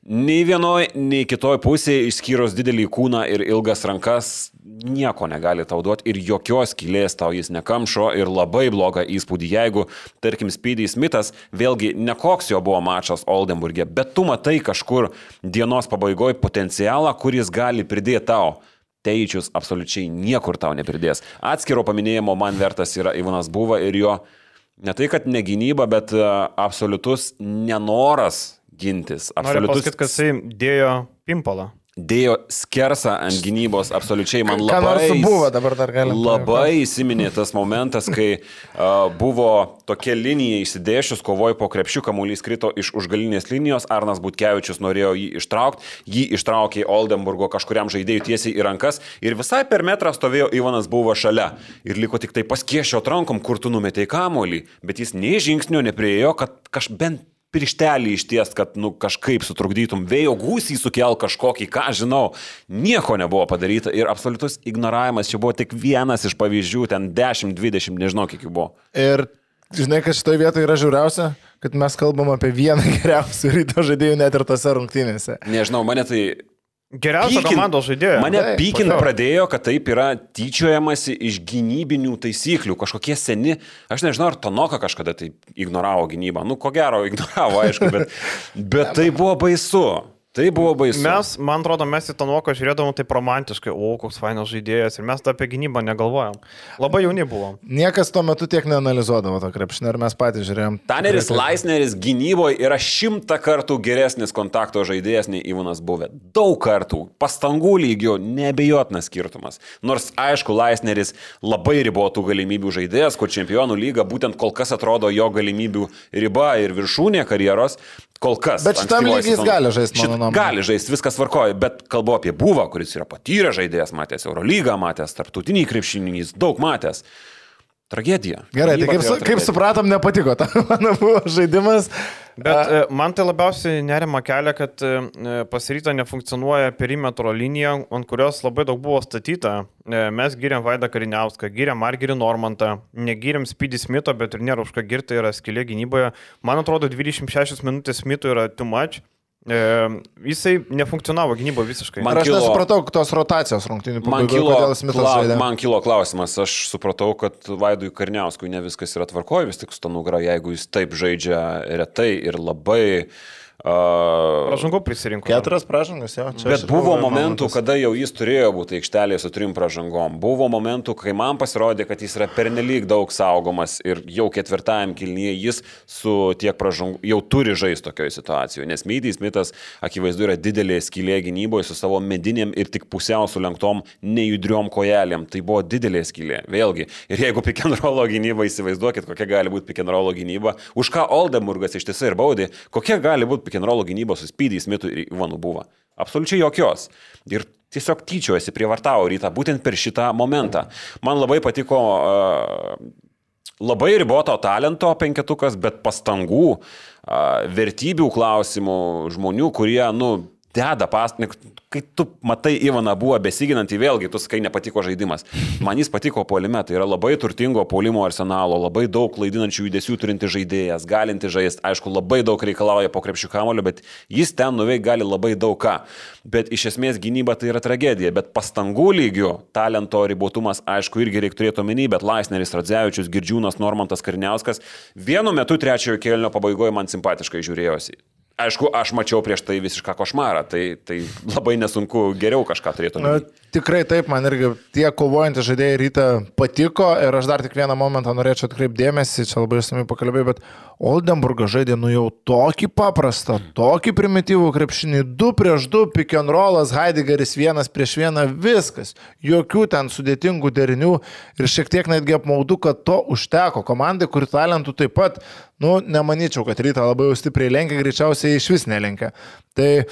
Nei vienoj, nei kitoj pusėje, išskyrus didelį kūną ir ilgas rankas, nieko negali tau duoti ir jokios skylės tau jis nekamšo ir labai blogą įspūdį, jeigu, tarkim, Speedy Smithas, vėlgi nekoks jo buvo mačas Oldenburgė, bet tu matai kažkur dienos pabaigoje potencialą, kuris gali pridėti tau. Teičius absoliučiai niekur tau nepridės. Atskiro paminėjimo man vertas yra Ivanas Buva ir jo ne tai, kad ne gynyba, bet absoliutus nenoras gintis. Noriu pasakyti, kad jisai dėjo pimpalą. Dėjo skersą ant gynybos, absoliučiai man labai įsiminė tas momentas, kai buvo tokia linija įsidėšius, kovojo po krepšių, kamuolys krito iš užgalinės linijos, Arnas Butkevičius norėjo jį ištraukti, jį ištraukė Oldenburgo kažkuriam žaidėjui tiesiai į rankas ir visai per metrą stovėjo Ivanas Buva šalia ir liko tik tai paskiešio rankom, kur tu numetei kamuolį, bet jis nei žingsnio nepriejo, kad bent pirštelį išties, kad kažkaip sutrukdytum, vėjo gūsį sukel kažkokį, ką žinau, nieko nebuvo padaryta ir absoliutus ignoravimas, čia buvo tik vienas iš pavyzdžių, ten 10, 20, nežinau kiek jų buvo. Ir žinai, kad šitoje vietoje yra žiauriausia, kad mes kalbam apie vieną geriausių Ryto žaidėjų net ir tose rungtynėse. Nežinau, mane tai... Geriausia komandos žaidėja. Mane pykint pradėjo, kad taip yra tyčiojamasi iš gynybinių taisyklių. Kažkokie seni, aš nežinau, ar Tonoka kažkada tai ignoravo gynybą. Ko gero, ignoravo, aišku, bet tai buvo baisu. Tai buvo baisu. Man atrodo, mes į Tonoką žiūrėdavom taip romantiškai, koks fainas žaidėjas ir mes apie gynybą negalvojom. Labai jauni buvom. Niekas tuo metu tiek neanalizuodavo to krepšinio ir mes patys žiūrėjom. Taneris Laisneris gynyboje yra 100 kartų geresnis kontakto žaidėjas nei Ivanas Buvė. Daug kartų. Pastangų lygio neabejotinas skirtumas. Nors, aišku, Laisneris labai ribotų galimybių žaidėjas, kur Čempionų lyga būtent kol kas atrodo jo galimybių riba ir viršūnė karjeros. Kol kas. Bet šitam lygiai jis gali žaisti, mano nuomonė. Gali žaisti, viskas tvarkoja, bet kalbu apie Buvą, kuris yra patyręs žaidėjas, matęs Eurolygą, matęs tarptautinį krepšinį, jis daug matęs. Tragedija. Gerai, tai kaip supratom, nepatiko ta mano buvo žaidimas. Bet man tai labiausiai nerima kelia, kad pas Rytą nefunkcionuoja perimetro linija, ant kurios labai daug buvo statyta. Mes giriam Vaidą Kariniauską, giriam Margirį Normantą, negiriam Speedy Smitho, bet ir nėra už ką girti, yra skylė gynyboje. Man atrodo, 26 minutės Smith'ui yra too much. Jisai nefunkcionavo gynybo visiškai. Aš nesupratau tos rotacijos rungtynių pabaigoje, kodėl Smithas žaidė. Man kilo klausimas, aš supratau, kad Vaidui Karniauskui ne viskas yra tvarkoje, vis tik su ta nugara, jeigu jis taip žaidžia retai ir labai... Pražangų prisirinko. 4 pražangas, jo. Bet buvo momentų, kada jau jis turėjo būti aikštelėje su 3 pražangom. Buvo momentų, kai man pasirodė, kad jis yra pernelyg daug saugomas ir jau 4 kėlinyje jis su tiek pražangų jau turi žaisti tokioje situacijoje. Nes Speedy Smithas akivaizdu yra didelė skylė gynyboje su savo medinėm ir tik pusiau sulenktom nejudriom kojelėm. Tai buvo didelė skylė. Vėlgi. Ir jeigu pick and rollo gynyba, įsivaizduokit, kokia gali būti pick and rollo gynyba, už ką Oldenburgas iš tiesų ir baudė, kokia gali būti pick and rollo gynybos su Speedy Smithu ir Ivanu Buva. Absoliučiai jokios. Ir tiesiog tyčiojasi, prievartavo Rytą būtent per šitą momentą. Man labai patiko labai riboto talento penketukas, bet pastangų, vertybių klausimų, žmonių, kurie, deda pastangų. Kai tu matai Ivaną Buvą besiginantį, vėlgi, tu sakai, nepatiko žaidimas. Man jis patiko puolime, tai yra labai turtingo puolimo arsenalo, labai daug klaidinančių judesių turinti žaidėjas, galinti žaisti, aišku, labai daug reikalauja po krepšių kamuolio, bet jis ten nuveik gali labai daug ką. Bet iš esmės gynyba tai yra tragedija, bet pastangų lygių, talento ribotumas, aišku, irgi reikia turėti omeny, bet Laisneris, Radzevičius, Girdžiūnas, Normantas Kariniauskas vienu metu trečiojo kėlinio pabaigoje man simpatiškai žiūrėjosi. Aišku, aš mačiau prieš tai visišką košmarą, tai labai nesunku geriau kažką turėtų. Tikrai taip, man irgi tie kovojantys žaidėjai Rytą patiko ir aš dar tik vieną momentą norėčiau atkreipti dėmesį, čia labai išsamiai pakalbėjau, bet Oldenburgas žaidė jau tokį paprastą, tokį primityvų krepšinį, 2 prieš 2, pick and rollas, Heideggeris 1 prieš 1, viskas, jokių ten sudėtingų derinių ir šiek tiek netgi apmaudu, kad to užteko komandai, kuri talentų taip pat, nemanyčiau, kad Rytą labai jau stipriai lenkia, greičiausiai iš vis nelenkia. Tai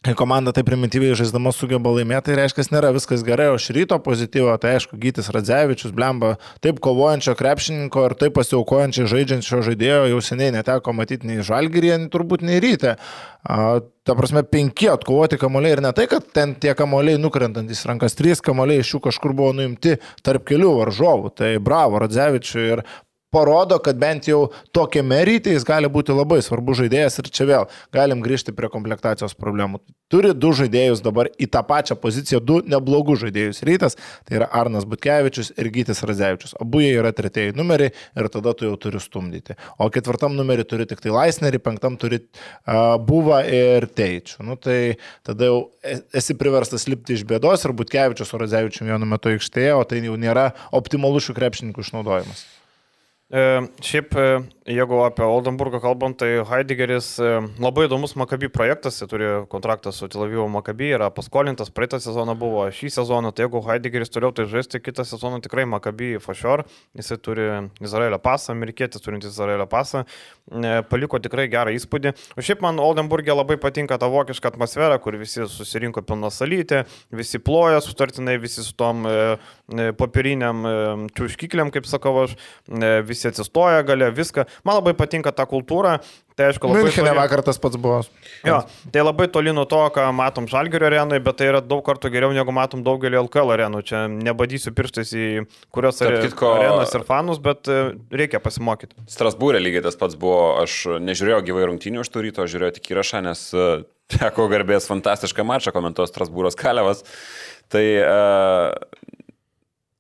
kai komanda taip primityviai žaisdama sugeba laimėti, tai reiškia, nėra viskas gerai, o iš Ryto pozityvo, tai aišku, Gytis Radzevičius, blemba, taip kovojančio krepšininko ir taip pasiaukojančio žaidžiančio žaidėjo jau seniai neteko matyti nei Žalgiryje, turbūt nei Ryte. Ta prasme, 5 atkovoti kamuoliai ir ne tai, kad ten tie kamuoliai nukrentantys rankas, 3 kamuoliai iš jų kažkur buvo nuimti tarp kelių varžovų, tai bravo Radzevičiui ir parodo, kad bent jau tokiame Ryte jis gali būti labai svarbus žaidėjas ir čia vėl galim grįžti prie komplektacijos problemų. Turi 2 žaidėjus dabar į tą pačią poziciją, 2 neblogų žaidėjus Rytas, tai yra Arnas Butkevičius ir Gytis Radzevičius. Abu jie yra 3 numeriai ir tada tu jau turi stumdyti. O 4 numerį turi tik tai Laisnerį, 5 turi Buvą ir Teičių. Nu tai tada jau esi priverstas lipti iš bėdos ir Butkevičius su Radzevičium vienu metu aikštėje, o tai jau nėra optimalus šių krepšininkų išnaudojimas. Šiaip, jeigu apie Oldenburgą kalbant, tai Heideggeris labai įdomus Maccabi projektas, jis turi kontraktą su Tel Avivo Maccabi, yra paskolintas, praeitą sezoną buvo, šį sezoną, tai jeigu Heideggeris toliau tai žaisti, kitą sezoną tikrai Maccabi for sure, jisai turi Izraelio pasą, amerikietis turintis Izraelio pasą, paliko tikrai gerą įspūdį. O šiaip man Oldenburgė labai patinka ta vokiška atmosfera, kur visi susirinko pilna salytė, visi ploja sutartinai, visi su tom popieriniam čiūškikliam, kaip sakau aš, visi atsistoja galia, viską. Man labai patinka ta kultūra. Tai aišku, labai Miunchene vakar tas pats buvo. Jo, tai labai toli nuo to, ką matom Žalgirio arenui, bet tai yra daug kartų geriau, negu matom daugelį LKL arenų. Čia nebadysiu pirštais į kurios arenas ir fanus, bet reikia pasimokyti. Strasbūrė lygiai tas pats buvo. Aš nežiūrėjau gyvai rungtynių iš to Ryto, žiūrėjau tik įrašą, nes teko garbės fantastišką mačą komentuos Strasbūros Kalevas. Tai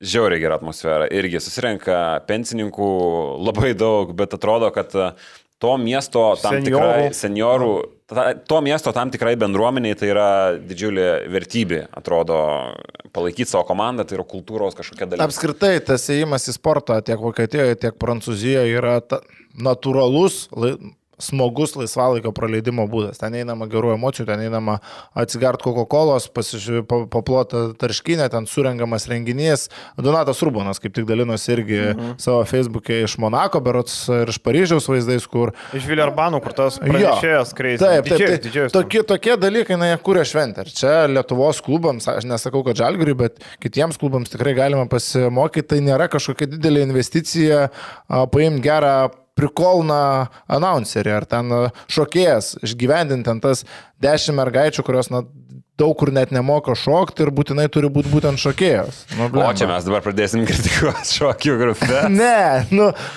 žiauriai gera atmosfera. Irgi susirenka pensininkų labai daug, bet atrodo, kad to miesto tam tikrai seniorų, to miesto tam tikrai bendruomeniai tai yra didžiulė vertybė, atrodo, palaikyti savo komandą, tai yra kultūros kažkokia dalis. Apskritai, tas ėjimas į sportą tiek Vokietijoje, tiek Prancūzijoje yra natūralus, smogus laisvalaikio praleidimo būdas. Ten einama gerų emocijų, ten einama atsigart Coca-Colos, paplota tarškinė, ten surengiamas renginys. Donatas Urbonas kaip tik dalinosi irgi savo Facebook'e iš Monako, berods ir iš Paryžiaus vaizdais, kur... Iš Vilerbano, kur tas pranešėjas kreis. Taip. Tokie dalykai, jie kūrė šventę. Ir čia Lietuvos klubams, aš nesakau, kad Žalgiriui, bet kitiems klubams tikrai galima pasimokyti. Tai nėra kažkokia didelė investicija paimti gerą prikolną announcerį, ar ten šokėjas, išgyvendinti ten tas 10 mergaičių, kurios daug kur net nemoka šokti ir būtinai turi būti būtent šokėjos. O čia mes dabar pradėsim kritikuoti šokių grupę. Ne,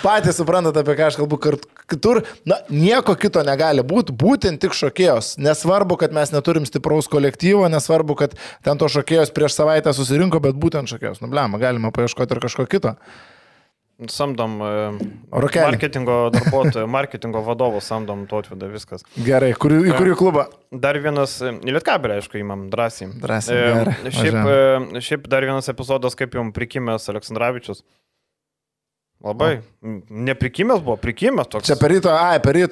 patys suprantate, apie ką aš kalbu, kitur, nieko kito negali būti, būtent tik šokėjos. Nesvarbu, kad mes neturim stipraus kolektyvo, nesvarbu, kad ten to šokėjos prieš savaitę susirinko, bet būtent šokėjos. Galima paieškoti ir kažko kito. Samdom marketingo darbuotojų, marketingo vadovų samdom Tautvydą, viskas. Gerai, į kurį klubą? Dar vienas, į Lietkabelį, aišku, įmam drąsiai. Šiaip dar vienas epizodas, kaip jums prikimęs Aleksandravičius. Labai. Neprikimęs buvo, prikimęs toks. Čia per ryto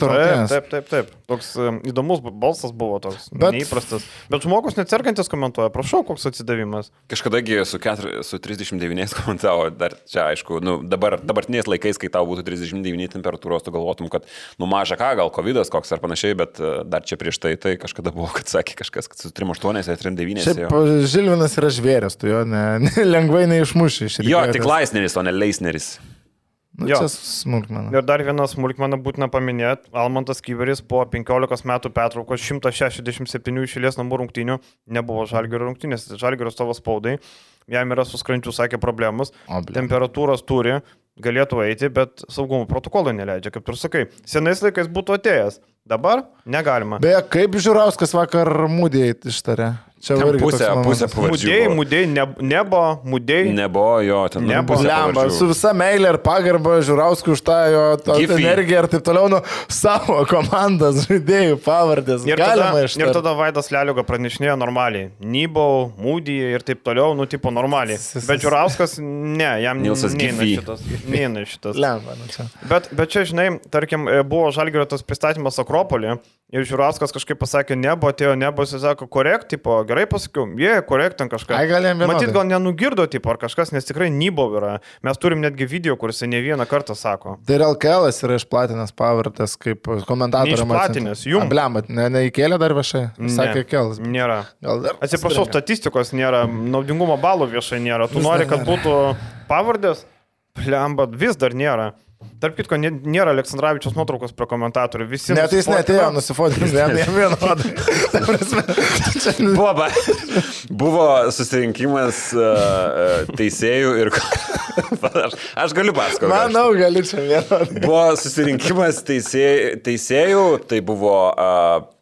rungtynės. Taip. Toks įdomus balsas buvo, toks neįprastas. Bet žmogus nesergantis komentuoja, prašau, koks atsidavimas. Kažkadagi su 39 komentavo, dar čia aišku, dabartiniais laikais, kai tau būtų 39 temperatūros, tu galvotum, kad maža ką, gal covidas koks ar panašiai, bet dar čia prieš tai kažkada buvo, kad sakė kažkas, kad su 3,8 ar 3,9. Šiaip Žilvinas yra žvėrės, tu jo lengvai neišmuši iš ryto. Jo, tik Laisneris, o ne Leisneris. Čia smulkmena. Ir dar vieną smulkmeną būtina paminėti. Almantas Kyberis po 15 metų pertraukos 167 išėlės namų rungtynių nebuvo Žalgirio rungtynės. Žalgirio savo spaudai. Jam yra su skrandžiu, sakė, problemus. Temperatūros turi, galėtų eiti, bet saugumo protokolai neleidžia, kaip tu sakai. Senais laikais būtų atėjęs. Dabar negalima. Beje, kaip Žiūrauskas vakar Mūdėjai ištarė? Čia pusė pavardžių. Mūdėjai, Nebuvo, jo, ten nebuvo. Su visa meilė ir pagarba Žiūrauskui už tą jo energiją ir taip toliau, savo komandas, žaidėjų pavardės. Ir tada Vaidas Leliuga pranešinėjo normaliai. Nybau, Mūdėjai ir taip toliau, tipo normaliai. Bet Žiūrauskas, ne, jam neina šitas. Bet čia, žinai, tarkim, buvo Žalgirio tas pristatymas Akropolį ir Žiūrauskas kažkaip pasakė, nebo, atėjo nebo, jis sako, korekt, tipo, gerai pasakiau, korekt ten kažką. Matyt, gal nenugirdo, tipo, ar kažkas, nes tikrai nybov yra. Mes turim netgi video, kuris ne vieną kartą sako. Tai ir LKL yra išplatinęs pavardas kaip komentatorius. Išplatinęs, jums. Blemat, neįkėlė dar viešai? Sakė Kelas. Nėra. Atsiprašau, statistikos nėra, naudingumo balų viešai nėra. Tu nori, kad būtų pavardės? Blembat, vis dar nėra. Tarp kitko, nėra Aleksandravičiaus nuotraukos prie komentatorių. Visi net jis netėjo nusifotinti, jam vienodai. Buvo susirinkimas teisėjų ir... aš galiu pasakoti. Manau, gali čia vienodai. Buvo susirinkimas teisėjų, tai buvo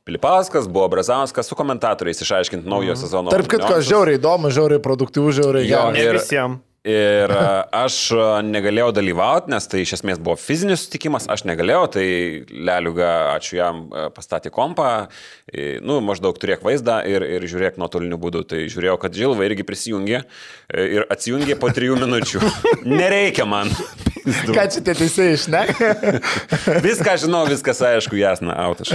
Pilipauskas, buvo Brazauskas su komentatoriais išaiškinti naujo sezono. Tarp kitko, žiauriai įdomu, žiauriai produktyvų, žiauriai gerai. Ne visiems. Ir aš negalėjau dalyvauti, nes tai iš esmės buvo fizinis sutikimas, aš negalėjau, tai Leliuga, ačiū jam, pastatė kompą, maždaug turėk vaizdą ir žiūrėk nuotoliniu būdu. Tai žiūrėjau, kad Žilva irgi prisijungė ir atsijungė po 3 minučių. Nereikia man. Ką čia tie teisėjai išneka? Viską žinau, viskas aišku, jasna, autas.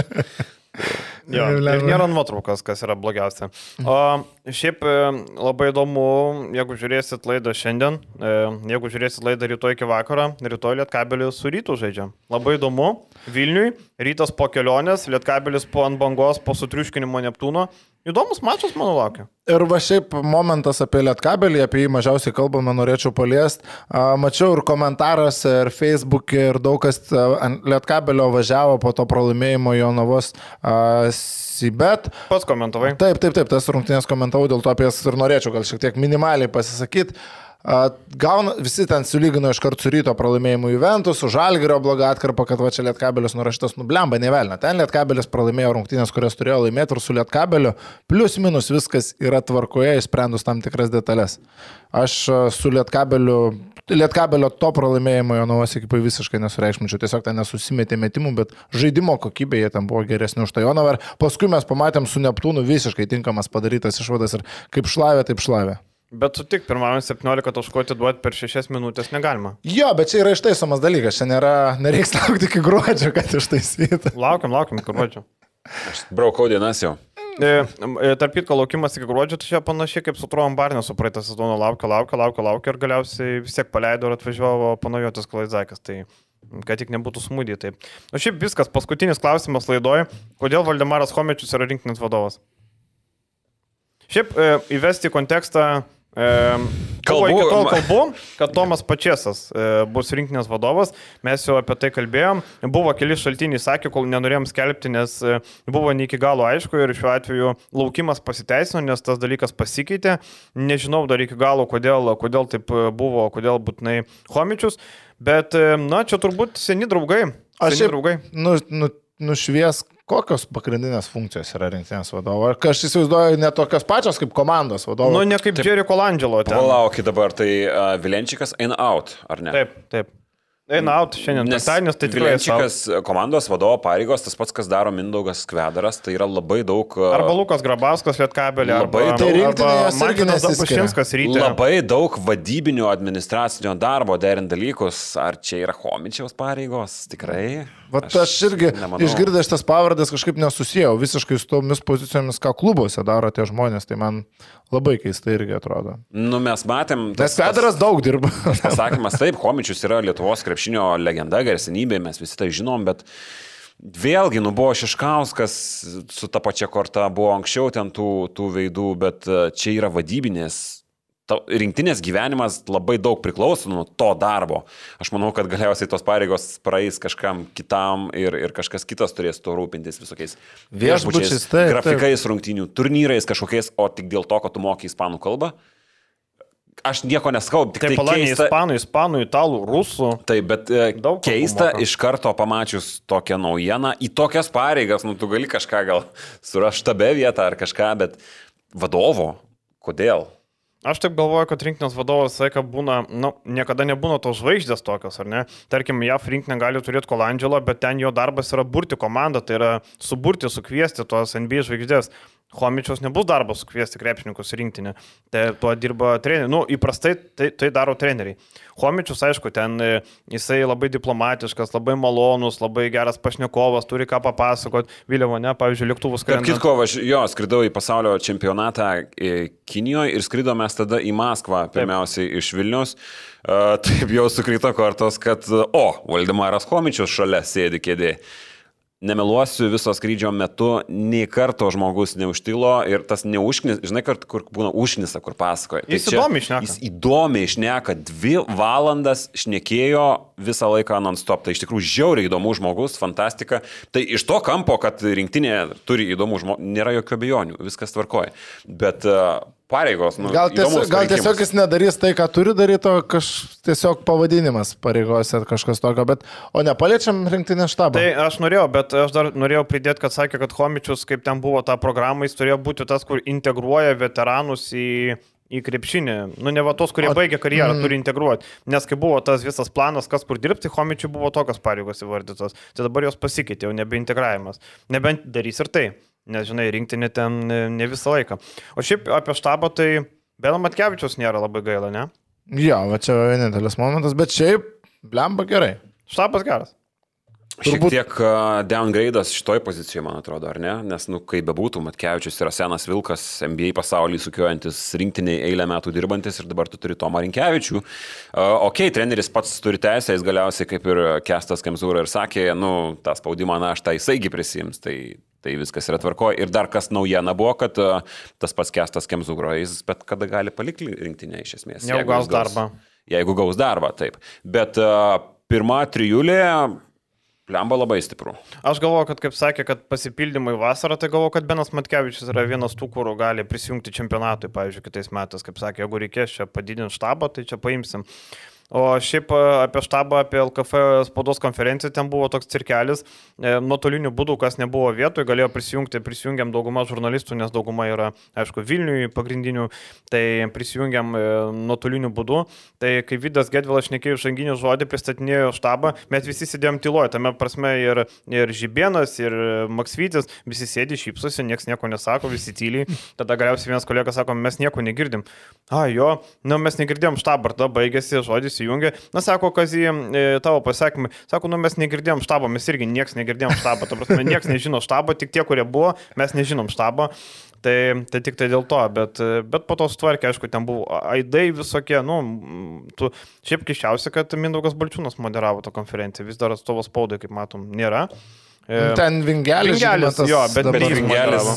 Jo, ir nėra nuotraukos, kas yra blogiausia. O šiaip labai įdomu, jeigu žiūrėsit laidą šiandien, jeigu žiūrėsit laidą rytoj iki vakaro, rytoj Lietkabelis su Rytu žaidžia. Labai įdomu, Vilniui, Rytas po kelionės, Lietkabelis po ant bangos, po sutriuškinimo Neptūno. Įdomus mačas, manau, laukia. Ir va šiaip momentas apie Lietkabelį, apie jį mažiausiai kalbame, norėčiau paliesti. Mačiau ir komentaruose, ir Facebook'e, ir daug kas ant Lietkabelio važiavo po to pralaimėjimo Jonavos Sibet. Pats komentavai. Taip, tas rungtynės komentavau, dėl to apie jas ir norėčiau gal šiek tiek minimaliai pasisakyti. Visi ten sulygino iš karto su Ryto pralaimėjimu Juventus, su Žalgirio bloga atkarpa, kad va čia Lietkabelis nurašytas nublemba, nevelna. Ten Lietkabelis pralaimėjo rungtynės, kurias turėjo laimėti ir su Lietkabeliu plius minus viskas yra tvarkoje, išsprendus tam tikras detalės. Aš su Lietkabelio to pralaimėjimo Jonavos ekipai visiškai nesureikšminčiau, tiesiog ten nesusimetė metimų, bet žaidimo kokybė jie ten buvo geresni už tą Jonavą. Paskui mes pamatėm su Neptūnu visiškai tinkamas padarytas išvadas ir kaip šlavė, taip šlavė. Bet sutik, pirmame 17 taškų atiduoti per 6 minutės negalima. Jo, bet čia yra ištaisomas dalykas, čia nereiks laukti iki gruodžio, kad ištaisytų. Laukiam iki gruodžio. Aš braukau dienas jau. Tarp kitko, laukimas iki gruodžio, tai čia panašiai kaip su Truom Barnesu praeitą sezoną laukia ir galiausiai vis tiek paleido ir atvažiavo Panajotis Klaizakas, tai kad tik nebūtų smūdį. Tai. O šiaip viskas, paskutinis klausimas laidoje, kodėl Valdemaras Chomičius yra rinktinės vadovas? Šiaip įvesti į kontekstą kalbu, kad Tomas Pačesas bus rinktinės vadovas, mes jau apie tai kalbėjom, buvo keli šaltiniai, sakė, kol nenorėjom skelbti, nes buvo ne iki galo aišku ir šiuo atveju laukimas pasiteisino, nes tas dalykas pasikeitė, nežinau dar iki galo, kodėl taip buvo, kodėl būtinai Chomičius, bet čia turbūt seni draugai. Nušvies, kokios pagrindinės funkcijos yra rinktinės vadovo. Aš įsivaizduoju, ne tokios pačios kaip komandos vadovo. Ne kaip Jerry Colangelo. Palaukit dabar, tai Vilenčikas eina out, ar ne? Taip. Eina out šiandien, nes tai tikrai Vilenčikas komandos vadovo pareigos, tas pats, kas daro Mindaugas Kvedaras, tai yra labai daug... Arba Lukas Grabauskas Lietkabelį, arba Martinas Zapušinskas Ryte. Labai daug vadybinio administracinio darbo derint dalykus. Ar čia yra Chomičiaus pareigos? Tikrai? Aš irgi išgirdęs šitas pavardės kažkaip nesusijau visiškai su tomis pozicijomis, ką klubuose daro tie žmonės, tai man labai keistai irgi atrodo. Mes matėm... Nes Kvedaras daug dirba. Pasakymas taip, Chomičius yra Lietuvos krepšinio legenda, garsenybė, mes visi tai žinom, bet vėlgi, buvo Šiškauskas su ta pačia korta, buvo anksčiau ten tų veidų, bet čia yra vadybinės. Rinktinės gyvenimas labai daug priklauso nuo to darbo. Aš manau, kad galiausiai tos pareigos praeis kažkam kitam ir kažkas kitas turės to rūpintis visokiais viešbučiais, grafikais, rungtynių turnyrais kažkokiais, o tik dėl to, kad tu moki ispanų kalbą. Aš nieko neskau, tik tai keista. Ispanų, italų, rusų. Taip, bet keista iš karto pamačius tokią naujieną, į tokias pareigas, tu gali kažką gal surasti štabe vietą ar kažką, bet vadovo, kodėl? Aš taip galvoju, kad rinktinės vadovas laiką būna, niekada nebūna tos žvaigždės tokios, ar ne? Tarkim, JAF rinktinė gali turėti Colangelo, bet ten jo darbas yra burti komandą, tai yra suburti, sukviesti tos NBA žvaigždės. Chomičiaus nebus darbas sukviesti krepšininkus rinktinę. Tai tuo dirba treneriai. Nu, įprastai tai daro treneriai. Chomičius, aišku, ten jisai labai diplomatiškas, labai malonus, labai geras pašnekovas, turi ką papasakot. Vėliau, ne, pavyzdžiui, lėktuvus skrendant. Tarp kitko, aš skridau į pasaulio čempionatą Kinijoje ir skridau mes tada į Maskvą, pirmiausiai iš Vilnius. Taip jau sukrito kortos, kad, Valdemaras Chomičius šalia sėdi kėdė. Nemeluosiu, viso skrydžio metu nei karto žmogus neužtilo ir tas neužknis, žinai, kur būna užknisa, kur pasakoja. Jis įdomiai šneka. Jis įdomiai šneka, 2 valandas šnekėjo visą laiką non-stop. Tai iš tikrųjų žiauriai įdomus žmogus, fantastika. Tai iš to kampo, kad rinktinė turi įdomų žmogų, nėra jokių abejonių, viskas tvarkoja. Bet pareigos, gal tiesiog jis nedarys tai, ką turi daryti, o tiesiog pavadinimas pareigose kažkas tokio, o nepaliečiam rinktinės štabą. Tai aš norėjau, bet aš dar norėjau pridėti, kad sakė, kad Chomičius, kaip ten buvo ta programa, jis turėjo būti tas, kur integruoja veteranus į krepšinį. Nu, ne va tos, kurie baigia karjerą, turi integruoti. Nes kai buvo tas visas planas, kas kur dirbti, Chomičiui buvo tokios pareigos įvardytos. Tai dabar jos pasikeitė, jau nebeintegravimas. Nebent darys ir tai. Nes, žinai, rinktinė ten ne visą laiką. O šiaip apie štabą, tai Beno Matkevičiaus nėra labai gaila, ne? Jo, va čia vienintelis momentas, bet šiaip, blemba gerai. Štabas geras. Šiek tiek downgrade'as šitoj pozicijoje, man atrodo, ar ne? Nes, kaip bebūtų, Matkevičius yra senas vilkas, NBA pasaulyje sukiojantis, rinktiniai eilę metų dirbantis ir dabar tu turi Tomą Rinkevičių. Treneris pats turi teisę, jis galiausiai, kaip ir Kęstas Kemzūra ir sakė, tą spaudimą naštą jisai prisiims, tai viskas yra tvarkoje. Ir dar kas naujiena buvo, kad tas pats Kęstas Kemzūra, jis bet kada gali palikti rinktinę iš esmės. Jeigu gaus darbą, taip. Bet pirma trijulė lemba labai stiprų. Aš galvoju, kad, kaip sakė, kad pasipildymai vasarą, tai galvoju, kad Benas Matkevičius yra vienas tų, kur gali prisijungti čempionatui, pavyzdžiui, kitais metais, kaip sakė, jeigu reikės čia padidinti štabą, tai čia paimsim. O šiaip apie štabą, apie LKF spaudos konferenciją, ten buvo toks cirkelis, nuotoliniu būdu, kas nebuvo vietoj, galėjo prisijungiam daugumą žurnalistų, nes dauguma yra, aišku, Vilniui pagrindinių, tai prisijungiam nuotoliniu būdu. Tai kai Vidas Gedvilas šnekėjo žanginį žodį, pristatinėjo štabą, mes visi sėdėjom tyloje, tame prasme ir Žibėnas, ir Maksvytis, visi sėdi, šypsosi, nieks nieko nesako, visi tyliai. Tada galiausiai vienas kolega sako, mes nieko negirdim. Mes negirdėjom štabą, tada baigėsi žodis. Įjungė. Na, sako, Kazį, tavo pasakymai. Sako, mes negirdėjom štabo, mes irgi nieks negirdėjom štabo. Ta prasme, nieks nežino štabo, tik tie, kurie buvo, mes nežinom štabo. Tai tik tai dėl to, bet po to sutvarkė, aišku, ten buvo aidai visokie, šiaip keiščiausia, kad Mindaugas Balčiūnas moderavo tą konferenciją, vis dar atstovas spaudai, kaip matom, nėra. Ten Vingelis, jo, bet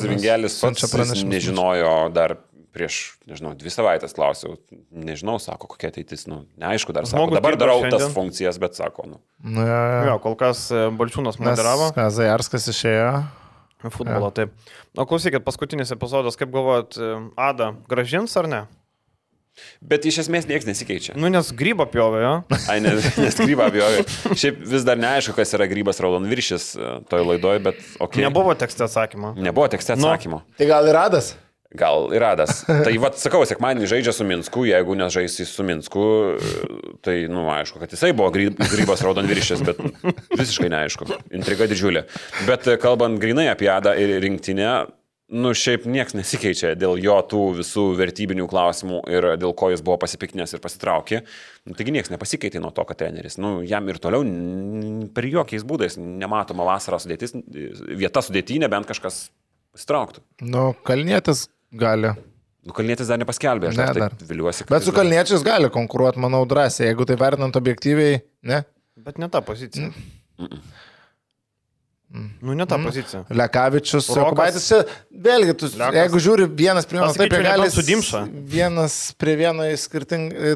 Vingelis pats nežinojo dar. Prieš, 2 savaitės klausiau, nežinau, sako, kokia ateitis, neaišku dar sako, dabar darau tas funkcijas, bet sako, Jo, kol kas Balčiūnas moderavo. Zajarskas išėjo. Futbolo, taip. Klausykit, paskutinis epizodas, kaip galvojat, Ada gražins ar ne? Bet iš esmės niekas nesikeičia. Nes grybą pjovė, jo? Nes grybą pjovė. Šiaip vis dar neaišku, kas yra grybas raudonviršis toj laidoj, bet okei. Nebuvo tekste atsakymo. Tai gal ir Adas? Gal ir Adas. Tai sakau, sekmadienį žaidžia su Minsku, jeigu nežais su Minsku, tai, aišku, kad jisai buvo grybas raudonviršis, bet visiškai neaišku. Intriga didžiulė. Bet kalbant grinai apie Adą ir rinktinę, šiaip nieks nesikeičia dėl jo tų visų vertybinių klausimų ir dėl ko jis buvo pasipiktinęs ir pasitraukė. Taigi nieks nepasikeitė nuo to, kad treneris. Jam ir toliau per jokiais būdais nematoma vasarą vieta sudėtinė, bent kažkas pasitrauktų. Kalnietis gali. Kalnietis dar nepaskelbė, aš taip viliuosi. Bet su Kalniečiais gali konkuruoti, manau, drąsiai, jeigu tai vertinant objektyviai, ne? Bet ne ta pozicija. Ne ta pozicija. Lekavičius, Jokubaitis, vėlgi, jeigu žiūri vienas prie vienas, taip jie gali sudimša. Vienas prie vieno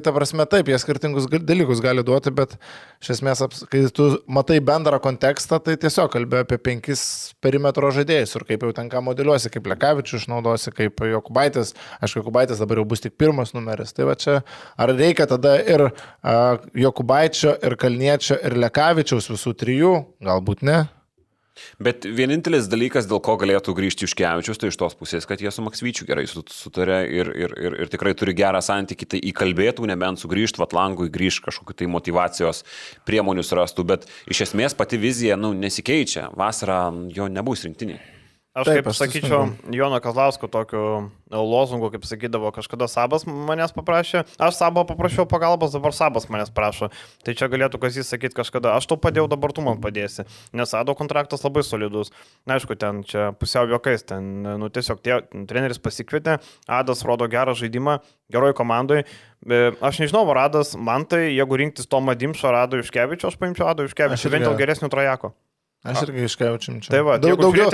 ta prasme taip, jie skirtingus dalykus gali duoti, bet iš esmės, kai tu matai bendrą kontekstą, tai tiesiog kalbė apie 5 perimetro žaidėjus ir kaip jau ten ką modeliuosi, kaip Lekavičius išnaudosi, kaip Jokubaitis. Aišku, Jokubaitis dabar jau bus tik 1 numeris. Tai va čia, ar reikia tada ir Jokubaičio, ir Kalniečio, ir Lekavičiaus visų 3? Galbūt ne. Bet vienintelis dalykas, dėl ko galėtų grįžti Juškevičius, tai iš tos pusės, kad jie su Maksvyčiu gerai sutarė ir tikrai turi gerą santykį, tai įkalbėtų, nebent sugrįžtų Vatlangui, grįžtų kažkokiu tai motivacijos priemonių surastų, bet iš esmės pati vizija nesikeičia, vasarą jo nebus rinktinė. Aš taip, kaip sakyčiau, Jono Kazlausko tokiu lozungu, kaip sakydavo, kažkada Sabas manęs paprašė, aš Sabą paprašiau pagalbos, dabar Sabas manęs prašo. Tai čia galėtų Kazys sakyti kažkada, aš tau padėjau, dabar tu man padėsi. Nes Ado kontraktas labai solidus. Na, aišku, ten čia pusiau juokais, ten, nu, tiesiog treneris pasikvietė, Adas rodo gerą žaidimą, geroj komandai. Aš nežinau, ar Adas, man tai, jeigu rinktis Tomą Dimšą ar Ado Juškevičių, aš paimčiau Ado Juškevičių, bent jau geresnių trajako. Aš irgi iškeičiam čia. Tai va, daugiau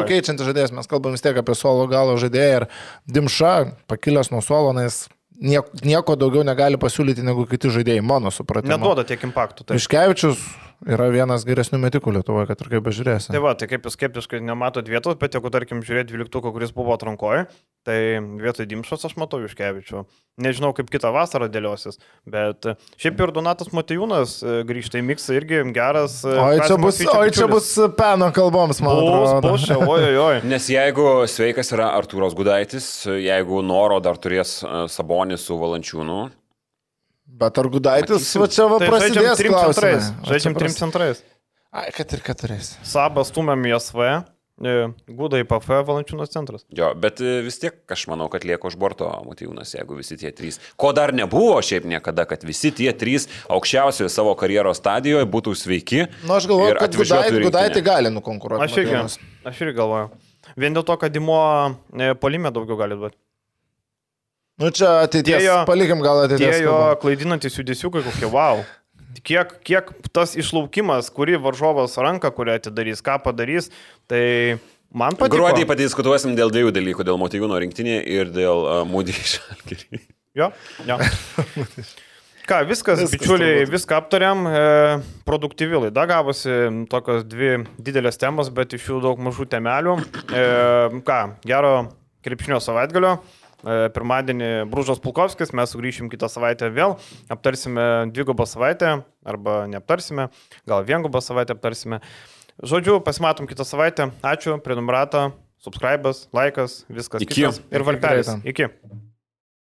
keičiantis žaidėjas, mes kalbam vis tiek apie suolo galo žaidėją ir Dimša, pakilęs nuo suolo, nes nieko daugiau negali pasiūlyti negu kiti žaidėjai, mano supratimu. Neduoda tiek impaktų. Juškevičius yra vienas geresnių metikų Lietuvoje, kad ir kaip bežiūrėsi. Tai va, tai kaip jūs skeptiškai nematot vietos, bet jeigu, tarkim, žiūrėti 12, kuris buvo atrankoje, tai vietoj Dimšos aš matau Juškevičių. Nežinau, kaip kitą vasarą dėliosis, bet šiaip ir Donatas Motiejūnas grįžta į miksą irgi geras. Oi, čia bus peno kalboms, man atrodo. Oi. Nes jeigu sveikas yra Artūras Gudaitis, jeigu Noro dar turės Sabonis su Valančiūnu. Bet ar Gudaitis, va čia va prasidės klausimai. Žaidžiam 3 centrais. Ai, kad ir 4. Sabas stumiam į SV, Guda į PF, Valančiūnas centras. Jo, bet vis tiek aš manau, kad lieka už borto Motiejūnas, jeigu visi tie 3. Ko dar nebuvo šiaip niekada, kad visi tie 3 aukščiausioje savo karjeros stadijoje būtų sveiki. Nu, aš galvoju, kad Gudaitį gali nukonkuruoti. Aš irgi galvoju. Vien dėl to, kad Dimo polime daugiau gali duoti. Nu čia ateities, palikim gal ateities. Tie jo klaidinantis judesiukai kokie, wow. Kiek tas išlaukimas, kurį varžovas ranką, kurią atidarys, ką padarys, tai man patiko. Gruodį padiskutuosim dėl 2 dalykų, dėl Motiejūno rinktinė ir dėl Mūdį Žalgirį. Jo. Ką, viskas bičiuliai, viską aptariam, produktyvi laida gavosi, tokios 2 didelės temos, bet iš jų daug mažų temelių. Gero krepšinio savaitgalio. Pirmadienį Bružas Pulkovskis, mes sugrįšim kitą savaitę vėl, aptarsime 2 savaitę, arba neaptarsime, gal 1 savaitę aptarsime. Žodžiu, pasimatom kitą savaitę. Ačiū, prenumerata, subscribas, laikas, viskas. Iki. Ir varpelis. Iki.